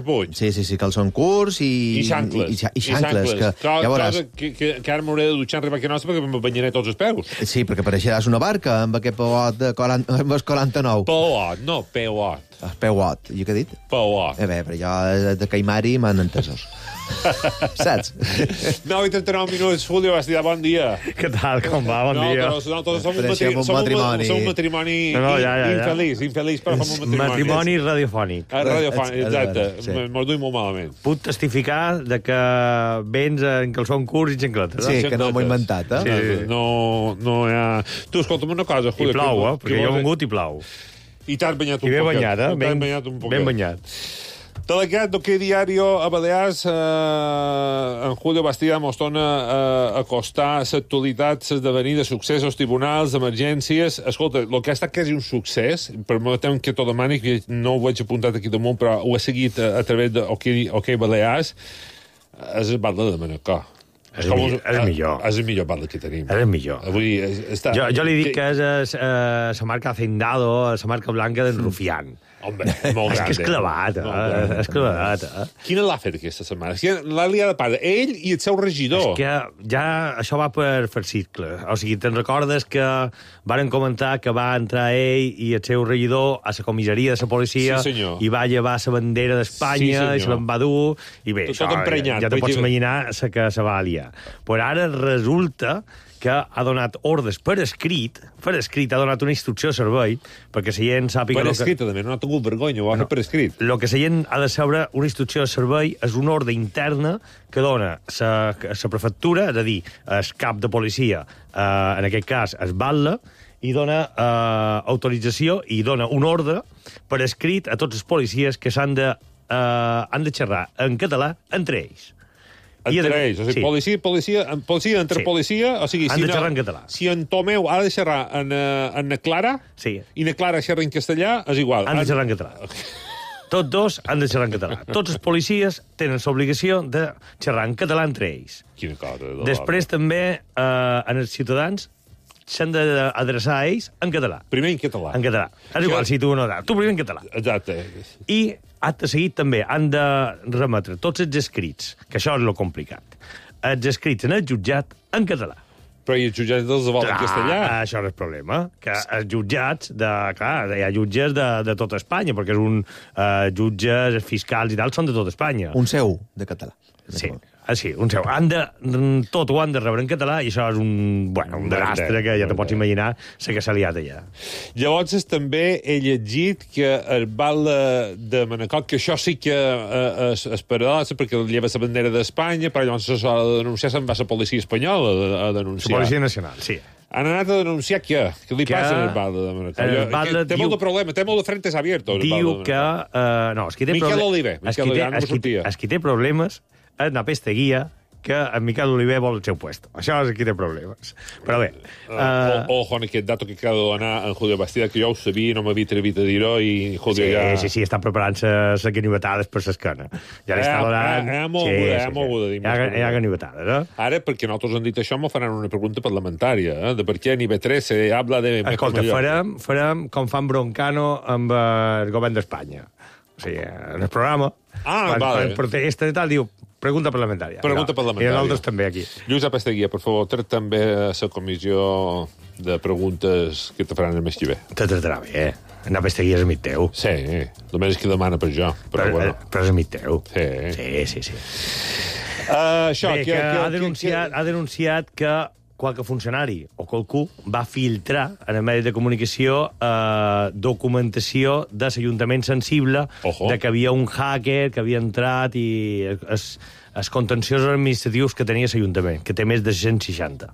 puig. Sí, que el Soncurs i xancles. Que ara m'hauré de dutxar arribar aquí a nostra perquè em banyaré tots els peus. Sí, perquè pareixeràs una barca amb aquest peuot de 49. Peuot, no, peuot. Peuot, jo què he dit? Peuot. Bé, però jo de Caimari m'han entesos. Saps? 9:39 minuts, Julio Bastida, bon dia. Què tal, com va? Bon dia. Nosaltres som un matrimoni infeliç, però som un matrimoni radiofònic. Radiofònic, exacte. Mos duim molt malament. Puc testificar de que vens en calçons curts i xancletes. Sí, que no m'ho he inventat, eh? No hi ha... Tu, escolta'm una cosa, Julio. I plau, perquè jo he vengut i plau. I t'has banyat un poquet. I ben banyat, Ben banyat. Delegat d'Hockey Diario a Balears, en Julio Bastida mos torna a acostar l'actualitat, l'esdevenir de successos, tribunals, emergències. Escolta, el que ha estat quasi un succés, permetem que t'ho demani, que no ho veig apuntat aquí damunt, però ho he seguit a través d'Hockey Balears, és el Batlle de Manacor. És el millor. És el millor Batlle que tenim. És el millor. Jo li dic que és la marca Hacendado, la marca blanca d'en Rufián. Home, molt gran. És que és clavat, és clavat. Quina l'ha fet aquesta setmana? L'ha liat de part, ell i el seu regidor. És que ja això va per cicle. O sigui, te'n recordes que varen comentar que va entrar ell i el seu regidor a la comissaria de la policia i va llevar la bandera d'Espanya i se l'en va dur i bé, això, ja te pots imaginar que se va aliar. Però ara resulta que ha donat ordres per escrit, ha donat una instrucció de servei, perquè la gent sàpiga... Per escrit, també, no ha tingut vergonya, ho ha fet per escrit. El que la gent ha de saber, una instrucció de servei, és una ordre interna que dona la prefectura, és a dir, el cap de policia, en aquest cas, el batlle, i dona autorització i dona un ordre per escrit a tots els policies que han de xerrar en català entre ells. Entre ells, o sigui, policia entre policia, o sigui, han de xerrar en català. Si en Tomeu ha de xerrar en na Clara, i na Clara xerra en castellà, és igual. Han de xerrar en català. Tots dos han de xerrar en català. Tots els policies tenen l'obligació de xerrar en català entre ells. Quina cosa. Després també, en els ciutadans, s'han d'adreçar a ells en català. Primer en català. En català. És igual, si tu no... Tu primer en català. Exacte. I, acte seguit, també han de remetre tots els escrits, que això és lo complicat, els escrits en el jutjat en català. Però i els jutjats els volen en castellà? Això és el problema, que els jutjats, clar, hi ha jutges de tota Espanya, perquè jutges, fiscals i tal, són de tota Espanya. Un seu de català. Sí, un seu. Tot ho han de rebre en català i això és un desastre que ja te pots imaginar la que s'ha liat allà. Llavors també he llegit que el batlle de Manacor, que això sí que és paradoxa perquè lleva la bandera d'Espanya, però llavors s'ha de denunciar, se'n va la policia espanyola a denunciar. La Policia Nacional, sí. Han anat a denunciar què? Què li passa al batlle de Manacor? Té molt de problema, té molt de frentes abiertos. Diu que... No, és qui té Miquel Oliver. És qui té problemes és una pesteguia que en Miquel Oliver vol el seu puesto. Això és qui té problemes. Però bé... Ojo en aquest dato que acaba de donar en Julio Bastida, que jo ho sabia, no m'havia atrevit a dir-ho, i Julio ja... Sí, està preparant les ganivetades per l'esquena. Ja li està donant... Hi ha molt de dir. Hi ha ganivetades, eh? Ara, perquè nosaltres han dit això, m'ho faran una pregunta parlamentària, de per què a IB3 se habla de... Escolta, farem com fan Broncano amb el govern d'Espanya. O sigui, en el programa, quan protesta i tal, diu... Pregunta parlamentària. Pregunta parlamentària. I nosaltres també, aquí. Lluís Apasteguia, per favor, trec també a la comissió de preguntes que te faran el mes que ve. Te tratarà bé, En Apasteguia és amic teu. Sí, només és que demana per jo. Però és amic teu. Sí. Això, bé, que ha denunciat que qualque funcionari o qualcú va filtrar en el medi de comunicació documentació de l'Ajuntament sensible de que havia un hacker que havia entrat i els contenciosos administratius que tenia l'Ajuntament, que té més de 160.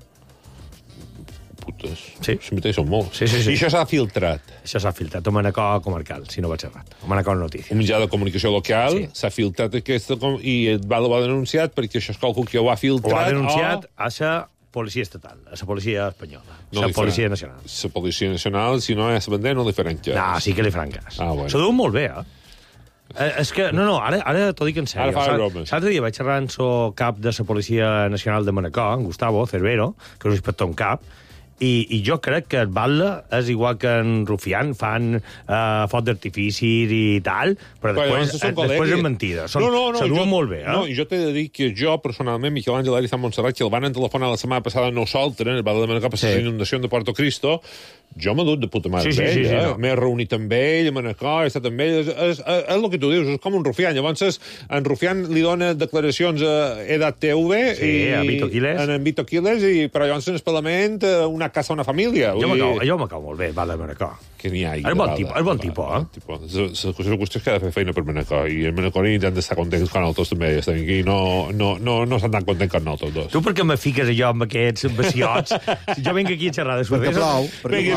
Putes. Sí. Són molts. Sí. I això s'ha filtrat? Això s'ha filtrat a Manacor comarcal, si no vaig errat. A Manacor Notícies. Un mitjà de comunicació local s'ha filtrat aquesta i el ho ha denunciat perquè això és qualcú que ho ha filtrat. Ho ha denunciat a la policia estatal, a la policia espanyola, a la policia nacional. La policia nacional, si no és la bandera, no li faran cas. No, sí que li faran cas. Bueno. S'ho diu molt bé, És que, no, ara t'ho dic en sèrio. Ara fa bromes. L'altre dia vaig xerrar amb el cap de la Policia Nacional de Manacor, en Gustavo Cervero, que és un inspector en cap, i jo crec que el Batlle és igual que en Rufián, fan foc d'artificis i tal, però després és mentida. S'aduen molt bé, No, jo t'he de dir que jo, personalment, Miquel Àngel Ariza Montserrat, que el van telefonar la setmana passada a nosaltres, el Batlle de Manacor, per la inundació de Puerto Cristo, jo m'he dut de puta mare amb ell, m'he reunit amb ell, a Manacor, he estat amb ell, és el que tu dius, és com un Rufián. Llavors, en Rufián li dona declaracions a Edat TV, a Vito Quiles, en Vito Quiles, però llavors en el Parlament una casa, una família. Jo m'acabo molt bé, Batlle de Manacor. Que n'hi ha. És bon tipus, eh? La qüestió és que ha de fer feina per Manacor, i el Manacorí han d'estar contents quan nosaltres també estem aquí, no estan tan contents com nosaltres dos. Tu per què me fiques allò amb aquests vaciots? Si jo vinc aquí a xerrar de perquè plou.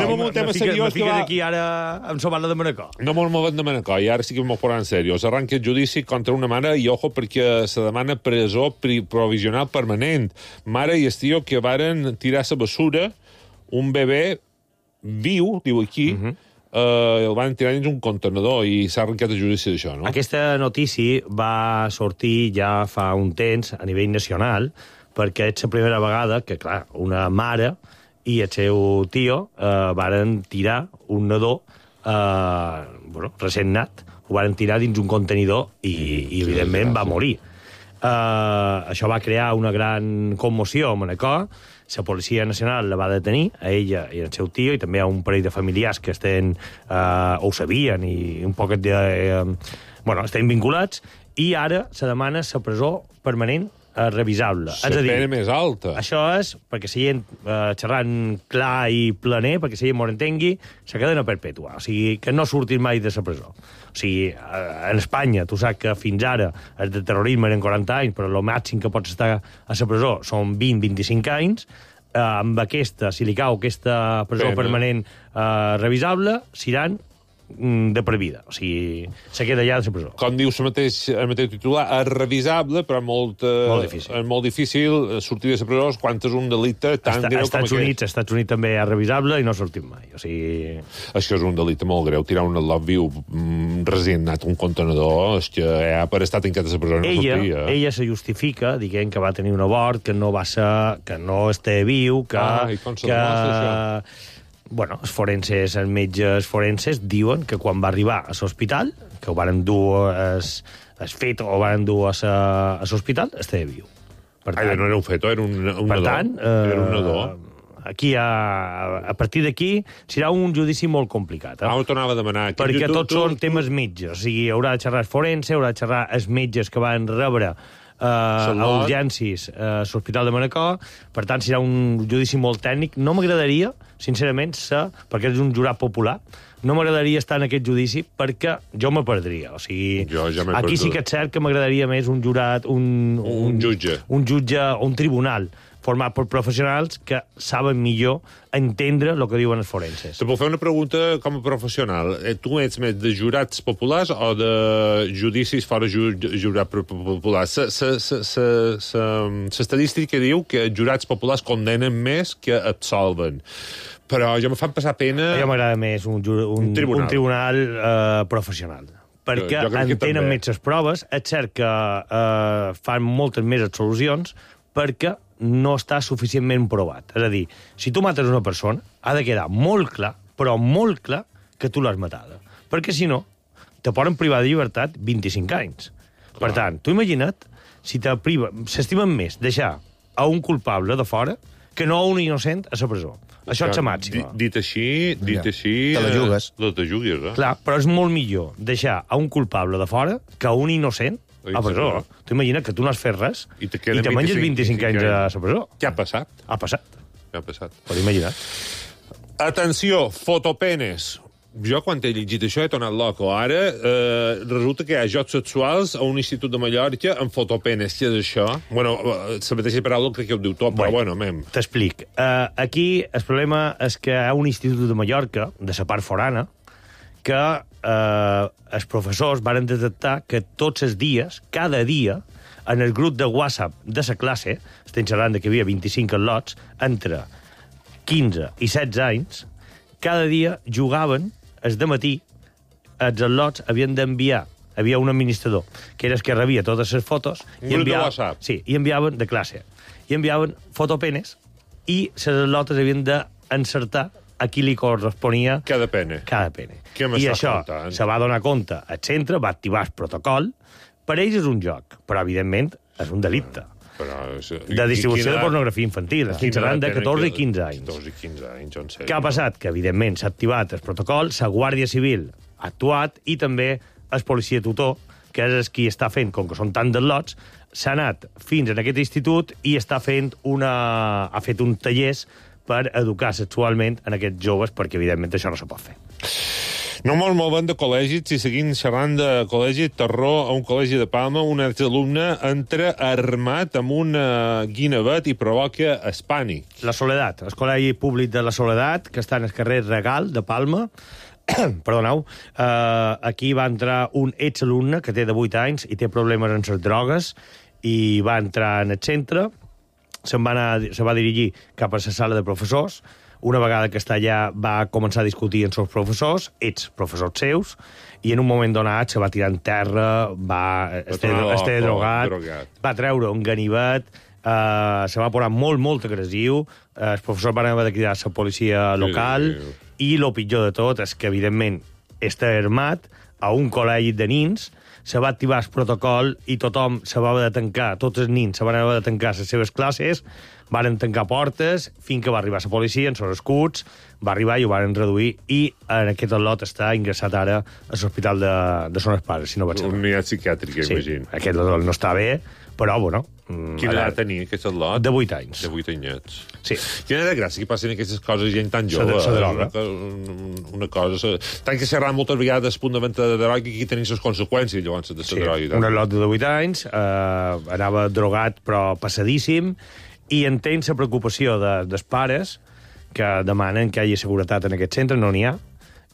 Anem amb un tema seriós. Me fiques aquí ara amb la Batlle de Manacor. No molt movent de Manacor, i ara sí que m'ho posaran seriós. Arranca el judici contra una mare, i ojo, perquè se demana presó provisional permanent. Mare i el tio que varen tirar la bessura un bebè viu, diu aquí, el van tirar dins un contenedor i s'ha arrencat el judici d'això, no? Aquesta notícia va sortir ja fa un temps a nivell nacional, perquè és la primera vegada que, clar, una mare i el seu tio varen tirar un nadó recent nat, ho varen tirar dins un contenidor i evidentment, va morir. Això va crear una gran commoció a Manacor. La Policia Nacional la va detenir, a ella i al seu tio, i també a un parell de familiars que ho sabien i un poquet estan vinculats, i ara se demana la presó permanent revisable. La pena més alta. Això és, perquè la gent xerrant clar i planer, perquè la gent m'ho entengui, la cadena perpètua, o sigui, que no surtin mai de la presó. O sigui, en Espanya, tu saps que fins ara el de terrorisme eren 40 anys, però el màxim que pots estar a la presó són 20-25 anys. Amb aquesta, si li cau aquesta presó permanent revisable, seran de per vida. O sigui, se queda allà de la presó. Com dius el mateix titular, és revisable, però és molt difícil sortir de la presó quan és un delicte tan greu com aquest. Estats Units també és revisable i no sortim mai. O sigui... Això és un delicte molt greu. Tirar un al·lot viu resignat un contenedor, és que per estar tancat a la presó no sortia. Ella se justifica dient que va tenir un abort, que no està viu, que... I com se demostra això? Bueno, els metges forenses diuen que quan va arribar a l'hospital, que ho van dur el fet o ho van dur a l'hospital, estava viu. No era un feto, era un nadó. Per tant, era un nadó. Aquí, a partir d'aquí, serà un judici molt complicat. Ho tornava a demanar. Perquè tots són temes metges. O sigui, haurà de xerrar forense, haurà de xerrar els metges que van rebre a urgències a l'Hospital de Manacor. Per tant, serà un judici molt tècnic. No m'agradaria, sincerament, perquè és un jurat popular, no m'agradaria estar en aquest judici perquè jo me perdria. O sigui, aquí sí que és cert que m'agradaria més un jurat, un jutge o un tribunal format per professionals que saben millor entendre el que diuen els forenses. Te puc fer una pregunta com a professional. Tu ets més de jurats populars o de judicis fora jurat popular? L'estadística diu que jurats populars condenen més que absolven. Però jo me fan passar pena... A mi m'agrada més un tribunal professional. Perquè entenen més les proves. És cert que fan moltes més absolucions perquè no està suficientment provat. És a dir, si tu mates una persona, ha de quedar molt clar, però molt clar, que tu l'has matada. Perquè, si no, te poden privar de llibertat 25 anys. Per tant, tu imagina't si s'estimen més deixar a un culpable de fora que no a un innocent a la presó. Això és la màxima. Dit així... Te la jugues. Te jugues, Clar, però és molt millor deixar a un culpable de fora que a un innocent a presó. Tu imagina't que tu no has fet res i te menges 25 anys a la presó. Què ha passat? Ha passat. Pots imaginar. Atenció, fotopenes. Jo, quan he llegit això, he tornat loco. Ara, resulta que hi ha jocs sexuals a un institut de Mallorca amb fotopenes. Què és això? Bueno, la mateixa paraula crec que ho diu tot, però bueno, mem. T'explic. Aquí el problema és que hi ha un institut de Mallorca, de la part forana, que els professors varen detectar que tots els dies, cada dia, en el grup de WhatsApp de la classe, estem xerrant que hi havia 25 al·lots, entre 15 i 16 anys, cada dia jugaven, el dematí, els al·lots havien d'enviar hi havia un administrador, que era el que rebia totes les fotos, i enviaven, i enviaven de classe, i enviaven fotopenes, i les lotes havien d'encertar a qui li corresponia cada pena. I això se va donar compte al centre, va activar el protocol. Per ells és un joc, però evidentment és un delicte. De distribució de pornografia infantil. Estic parlant de 14 i 15 anys. 14 i 15 anys, en sèrio. Què ha passat? Que, evidentment, s'ha activat el protocol, la Guàrdia Civil ha actuat i també el policia tutor, que és qui està fent, com que són tant de lots, s'ha anat fins en aquest institut i ha fet un tallers per educar sexualment en aquests joves, perquè, evidentment, això no se pot fer. No molt movent de col·legis, i seguint xerrant de col·legi, terror a un col·legi de Palma, un exalumne entra armat amb un guinevet i provoca espànic. La Soledat, el col·legi públic de la Soledat, que està en el carrer Regal de Palma, perdoneu, aquí va entrar un exalumne que té de 8 anys i té problemes amb les drogues, i va entrar en el centre, se va dirigir cap a la sala de professors. Una vegada que està allà va començar a discutir amb els professors, professors seus, i en un moment donat se va tirar en terra, estava drogat, va treure un ganivet, se va posar molt agressiu, els professors van haver de cridar a la policia local, i el pitjor de tot és que, evidentment, està armat a un col·legi de nins, se va activar el protocol i tothom se va haver de tancar, tots els nins se van haver de tancar les seves classes, varen tancar portes, fins que va arribar la policia, en els escuts, va arribar i ho varen reduir, i en aquest lot està ingressat ara a l'hospital de Son Pares, si no vaig errat. Una unitat psiquiàtrica, imagino. Sí, aquest lot no està bé, però, bueno... Quina edat tenia aquest lot? De 8 anys. De 8 anyets. Sí. Quina de gràcia que passen aquestes coses gent tan jove. Se droga. Una cosa... Tant que s'ha moltes vegades el punt de venda de droga i aquí tenen les conseqüències, llavors, de la droga. Un lot de 8 anys, anava drogat però passadíssim, i entenc la preocupació dels pares que demanen que hi hagi seguretat en aquest centre, no n'hi ha,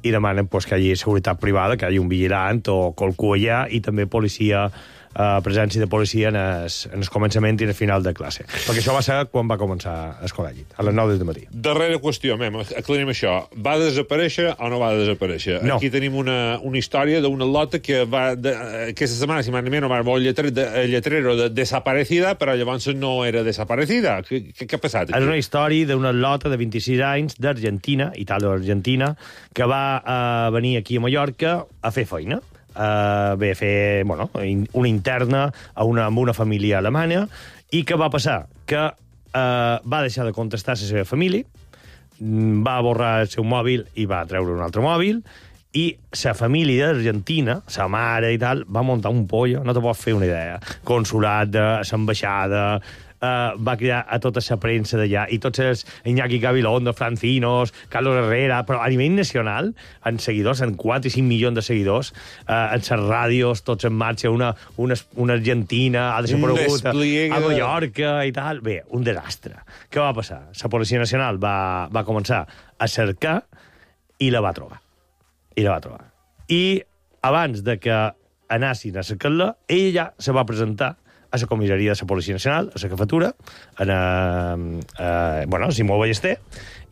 i demanen que hi hagi seguretat privada, que hi hagi un vigilant o qualcú allà, i també policia, presència de policia en el començament i en el final de classe. Perquè això va ser quan va començar el col·legi, a les 9 del matí. Darrera qüestió, aclarim això. Va desaparèixer o no va desaparèixer? No. Aquí tenim una història d'una lota que va... Aquesta setmana, si m'anem, va el lletrero de desaparecida, però llavors no era desaparecida. Què ha passat aquí? És una història d'una lota de 26 anys d'Argentina, Itàlia-Argentina, que va venir aquí a Mallorca a fer feina. Ve a fer una interna amb una família alemanya, i què va passar? Que va deixar de contestar a la seva família, va borrar el seu mòbil i va treure un altre mòbil, i la família d'Argentina, la mare i tal, va muntar un pollo, no te pots fer una idea. Consulat, l'ambaixada, va cridar a tota la premsa d'allà, i tots els Iñaki Gabilondo, Francinos, Carlos Herrera, però a nivell nacional, en seguidors, en 4 i 5 milions de seguidors, en les ràdios, tots en marxa, una Argentina ha desaparegut a Mallorca i tal. Bé, un desastre. Què va passar? La Policia Nacional va començar a cercar i la va trobar. I abans de que anessin a cercar-la, ella ja se va presentar a la comissaria de la Policia Nacional, a la jefatura, Simó Ballester,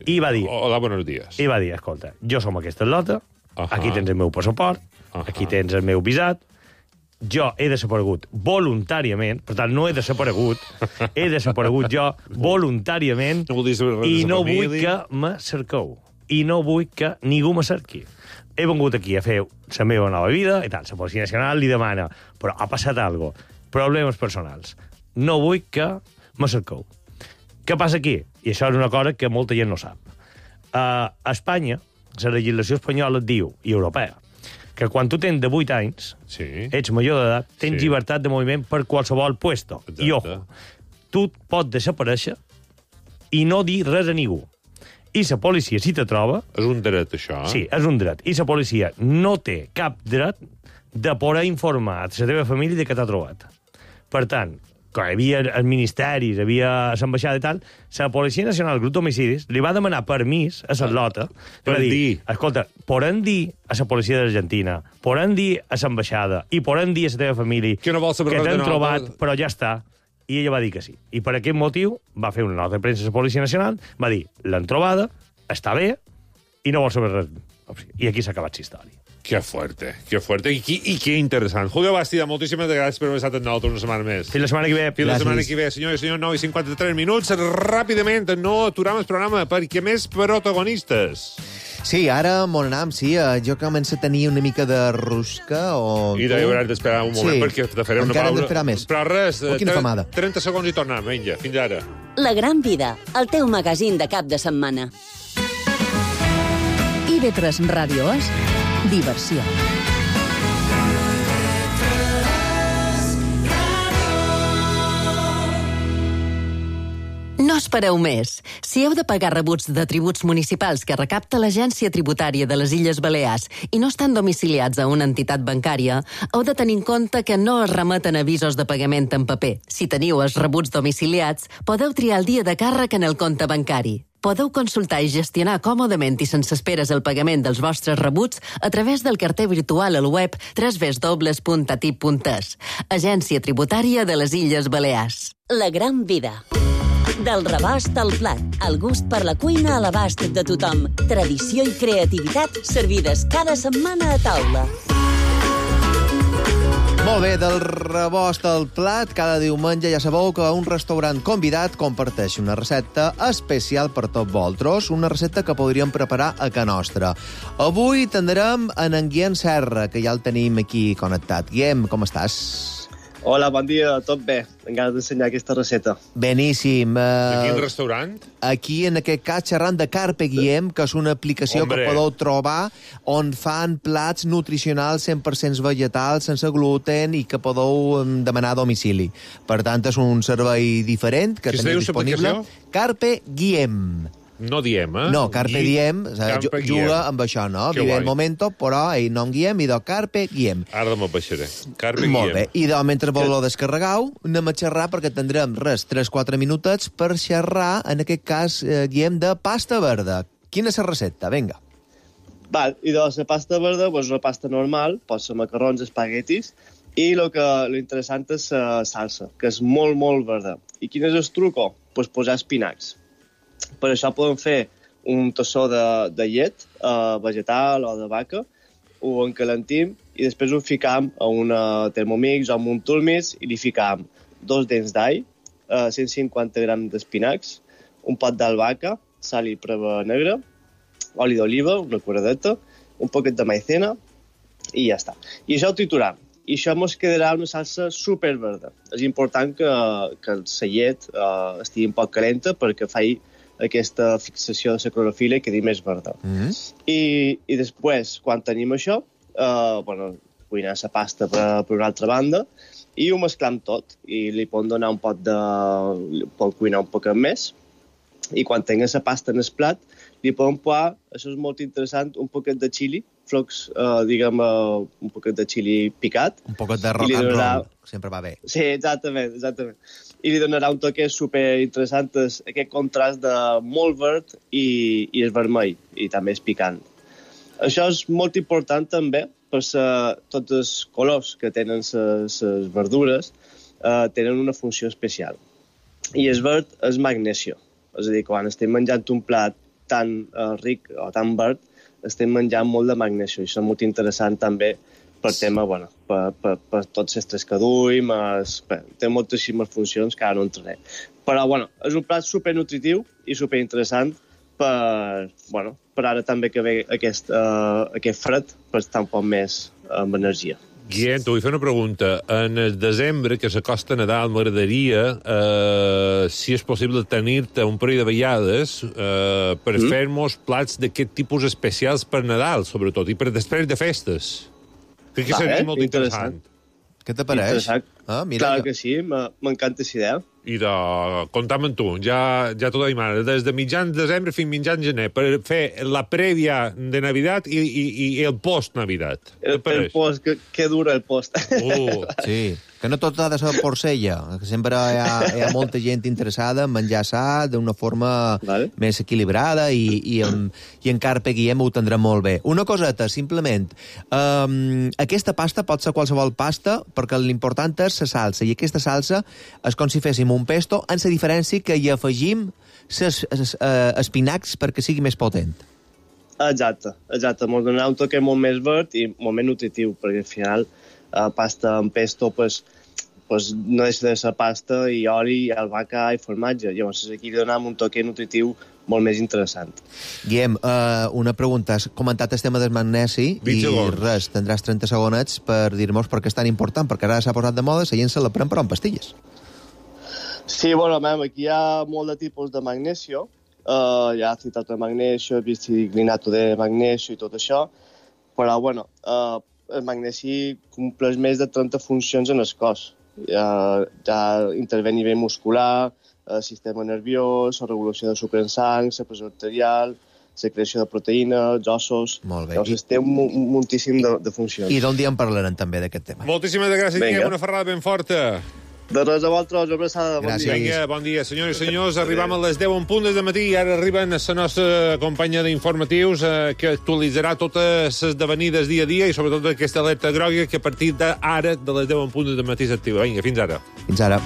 i va dir... Hola, buenos días. I va dir, escolta, jo som aquesta lota, aquí tens el meu passaport, aquí tens el meu visat, jo he desaparegut voluntàriament, per tant, no he desaparegut, he desaparegut jo voluntàriament, i no vull que me cerqueu, i no vull que ningú me cerqui. He vingut aquí a fer la meva nova vida, i tal, la Policia Nacional li demana, però ha passat alguna cosa, problemes personals. No vull que me cerqueu. Què passa aquí? I això és una cosa que molta gent no sap. A Espanya, la legislació espanyola et diu, i europea, que quan tu tens de 8 anys, ets major d'edat, tens llibertat de moviment per qualsevol puesto. I ojo, tu pots desaparèixer i no dir res a ningú. I la policia, si te troba... És un dret, això, eh? Sí, és un dret. I la policia no té cap dret de poder informar a la teva família de què t'ha trobat. Per tant, quan hi havia els ministeris, hi havia l'ambaixada i tal, la Policia Nacional, el grup d'homicidis, li va demanar permís a la lota per dir, escolta, podem dir a la policia d'Argentina, podem dir a l'ambaixada i podem dir a la teva família que t'han trobat, però ja està. I ella va dir que sí. I per aquest motiu va fer una nota de premsa a la Policia Nacional, va dir, l'han trobada, està bé, i no vol saber res. I aquí s'ha acabat la història. Que fuerte. I que interessant. Julio Bastida, moltíssimes gràcies per haver estat amb nosaltres una setmana més. Fins la setmana que ve. Fins la setmana que ve, senyor i senyor, 9:53. Ràpidament, no aturem el programa, perquè més protagonistes. Sí, ara m'on anam, sí. Jo començo a tenir una mica de rusca o... I hauràs d'esperar un moment, perquè te faré una pausa. Encara hem d'esperar més. Però res, quina famada. 30 segons i tornem. Vinga, fins ara. La Gran Vida, el teu magazín de cap de setmana. IB3 Ràdio és diversió. No espereu més. Si heu de pagar rebuts de tributs municipals que recapta l'Agència Tributària de les Illes Balears i no estan domiciliats a una entitat bancària, heu de tenir en compte que no es remeten avisos de pagament en paper. Si teniu els rebuts domiciliats, podeu triar el dia de càrrec en el compte bancari. Podeu consultar i gestionar còmodament i sense esperes el pagament dels vostres rebuts a través del carter virtual al web www.atip.es. Agència Tributària de les Illes Balears. La Gran Vida. Del rebost al plat, el gust per la cuina a l'abast de tothom. Tradició i creativitat servides cada setmana a taula. Molt bé, del rebost al plat, cada diumenge ja sabeu que un restaurant convidat comparteix una recepta especial per tots vosaltres, una recepta que podríem preparar a casa nostra. Avui tindrem en Guillem Serra, que ja el tenim aquí connectat. Guillem, com estàs? Hola, bon dia, tot bé. Encara d'ensenyar aquesta recepta. Beníssim. De quin restaurant? Aquí, en aquest cas, xerrant de Carpe Guillem, que és una aplicació que podeu trobar on fan plats nutricionals 100% vegetals, sense gluten, i que podeu demanar a domicili. Per tant, és un servei diferent que teniu disponible. Carpe Guillem. No diem, eh? No, Carpe Diem, juga amb això, no? Vive el momento, però ell no en Guillem, i de Carpe Guillem. Ara me'l baixaré. Carpe Guillem. Molt bé. I mentre vos lo descarregueu, anem a xerrar, perquè tindrem, 3-4 minutets per xerrar, en aquest cas, Guillem, de pasta verda. Quina és la recepta? Vinga. Val, i de la pasta verda, doncs una pasta normal, pot ser macarrons, espaguetis, i lo interessant és la salsa, que és molt, molt verda. I quin és el truco? Doncs posar espinacs. Per això podem fer un tassó de llet vegetal o de vaca, ho encalentim i després ho ficam a una Thermomix o a un Turmix i li ficam 2 dents d'all, 150 grams d'espinacs, un pot d'albahaca, sal i preva negra, oli d'oliva, una curadeta, un poquet de maicena i ja està. I això ho trituram. I això ens quedarà una salsa superverda. És important que la llet estigui un poc calenta perquè faci aquesta fixació de la clorofila i quedi més verda. I després, quan tenim això, cuinar la pasta per una altra banda i ho mesclam tot. I li podem donar un pot pot cuinar un poc més. I quan tinguem la pasta en el plat, li podem posar, això és molt interessant, un poquet de xili, flocs, un poquet de xili picat. Un poquet de rock and roll, sempre va bé. Sí, exactament. I li donarà un toque superinteressant, aquest contrast de molt verd i el vermell, i també és picant. Això és molt important també, per tots els colors que tenen les verdures tenen una funció especial. I el verd és magnesio. És a dir, quan estem menjant un plat tan ric o tan verd, estem menjant molt de magnesio. I això és molt interessant també per tema, per tots els estrès que duim, té moltíssimes funcions que ara no entraré. Però, és un plat supernutritiu i superinteressant per ara també que ve aquest fred, per estar un poc més amb energia. Guillem, t'ho vull fer una pregunta. En el desembre, que s'acosta Nadal, m'agradaria, si és possible, tenir-te un parell de vegades per fer-nos plats d'aquest tipus especials per Nadal, sobretot, i per després de festes. Crec que seria molt interessant. Què t'apareix? Clar que sí, m'encanta aquesta idea. I comptam amb tu, ja t'ho deim ara, des de mitjans de desembre fins mitjans gener, per fer la prèvia de Navidad i el post-Navidad. El post, que dura el post. Sí, que no tot ha de ser porcella, que sempre hi ha molta gent interessada en menjar sa d'una forma més equilibrada i en Carpe Guillem ho tindrà molt bé. Una coseta, simplement, aquesta pasta pot ser qualsevol pasta perquè l'important és la salsa, i aquesta salsa és com si féssim un pesto, amb la diferència que hi afegim espinacs perquè sigui més potent. Exacte. Mos donarà un toque molt més verd i molt més nutritiu, perquè al final pasta amb pesto no deixa de ser pasta i oli, albahaca i formatge. Llavors aquí li donam un toque nutritiu molt més interessant. Guillem, una pregunta. Has comentat el tema del magnesi i res, tindràs 30 segonets per dir-nos per què és tan important, perquè ara s'ha posat de moda, la gent se la pren però en pastilles. Sí, bueno, aquí hi ha molt de tipus de magnesio. Hi ha citrato de magnesio, biciglinato de magnesio i tot això, però, bueno, el magnesi compleix més de 30 funcions en el cos. Ja intervé a nivell muscular, sistema nerviós, la regulació de sucre en sang, la pressió arterial, la creació de proteïnes, ossos... Molt bé. Llavors, té moltíssim de funcions. I d'un dia en parlarem també d'aquest tema. Moltíssimes gràcies, Guillem, una ferrada ben forta. De res a vosaltres, una abraçada. Bon dia. Vinga, bon dia, senyores i senyors. Arribam a les 10 en punt de matí i ara arriben la nostra companya d'informatius que actualitzarà totes les esdevenides dia a dia i sobretot aquesta alerta groga que a partir d'ara, de les 10 en punt de matí s'activa. Vinga, fins ara. Fins ara.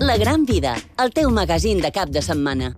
La Gran Vida, el teu magazín de cap de setmana.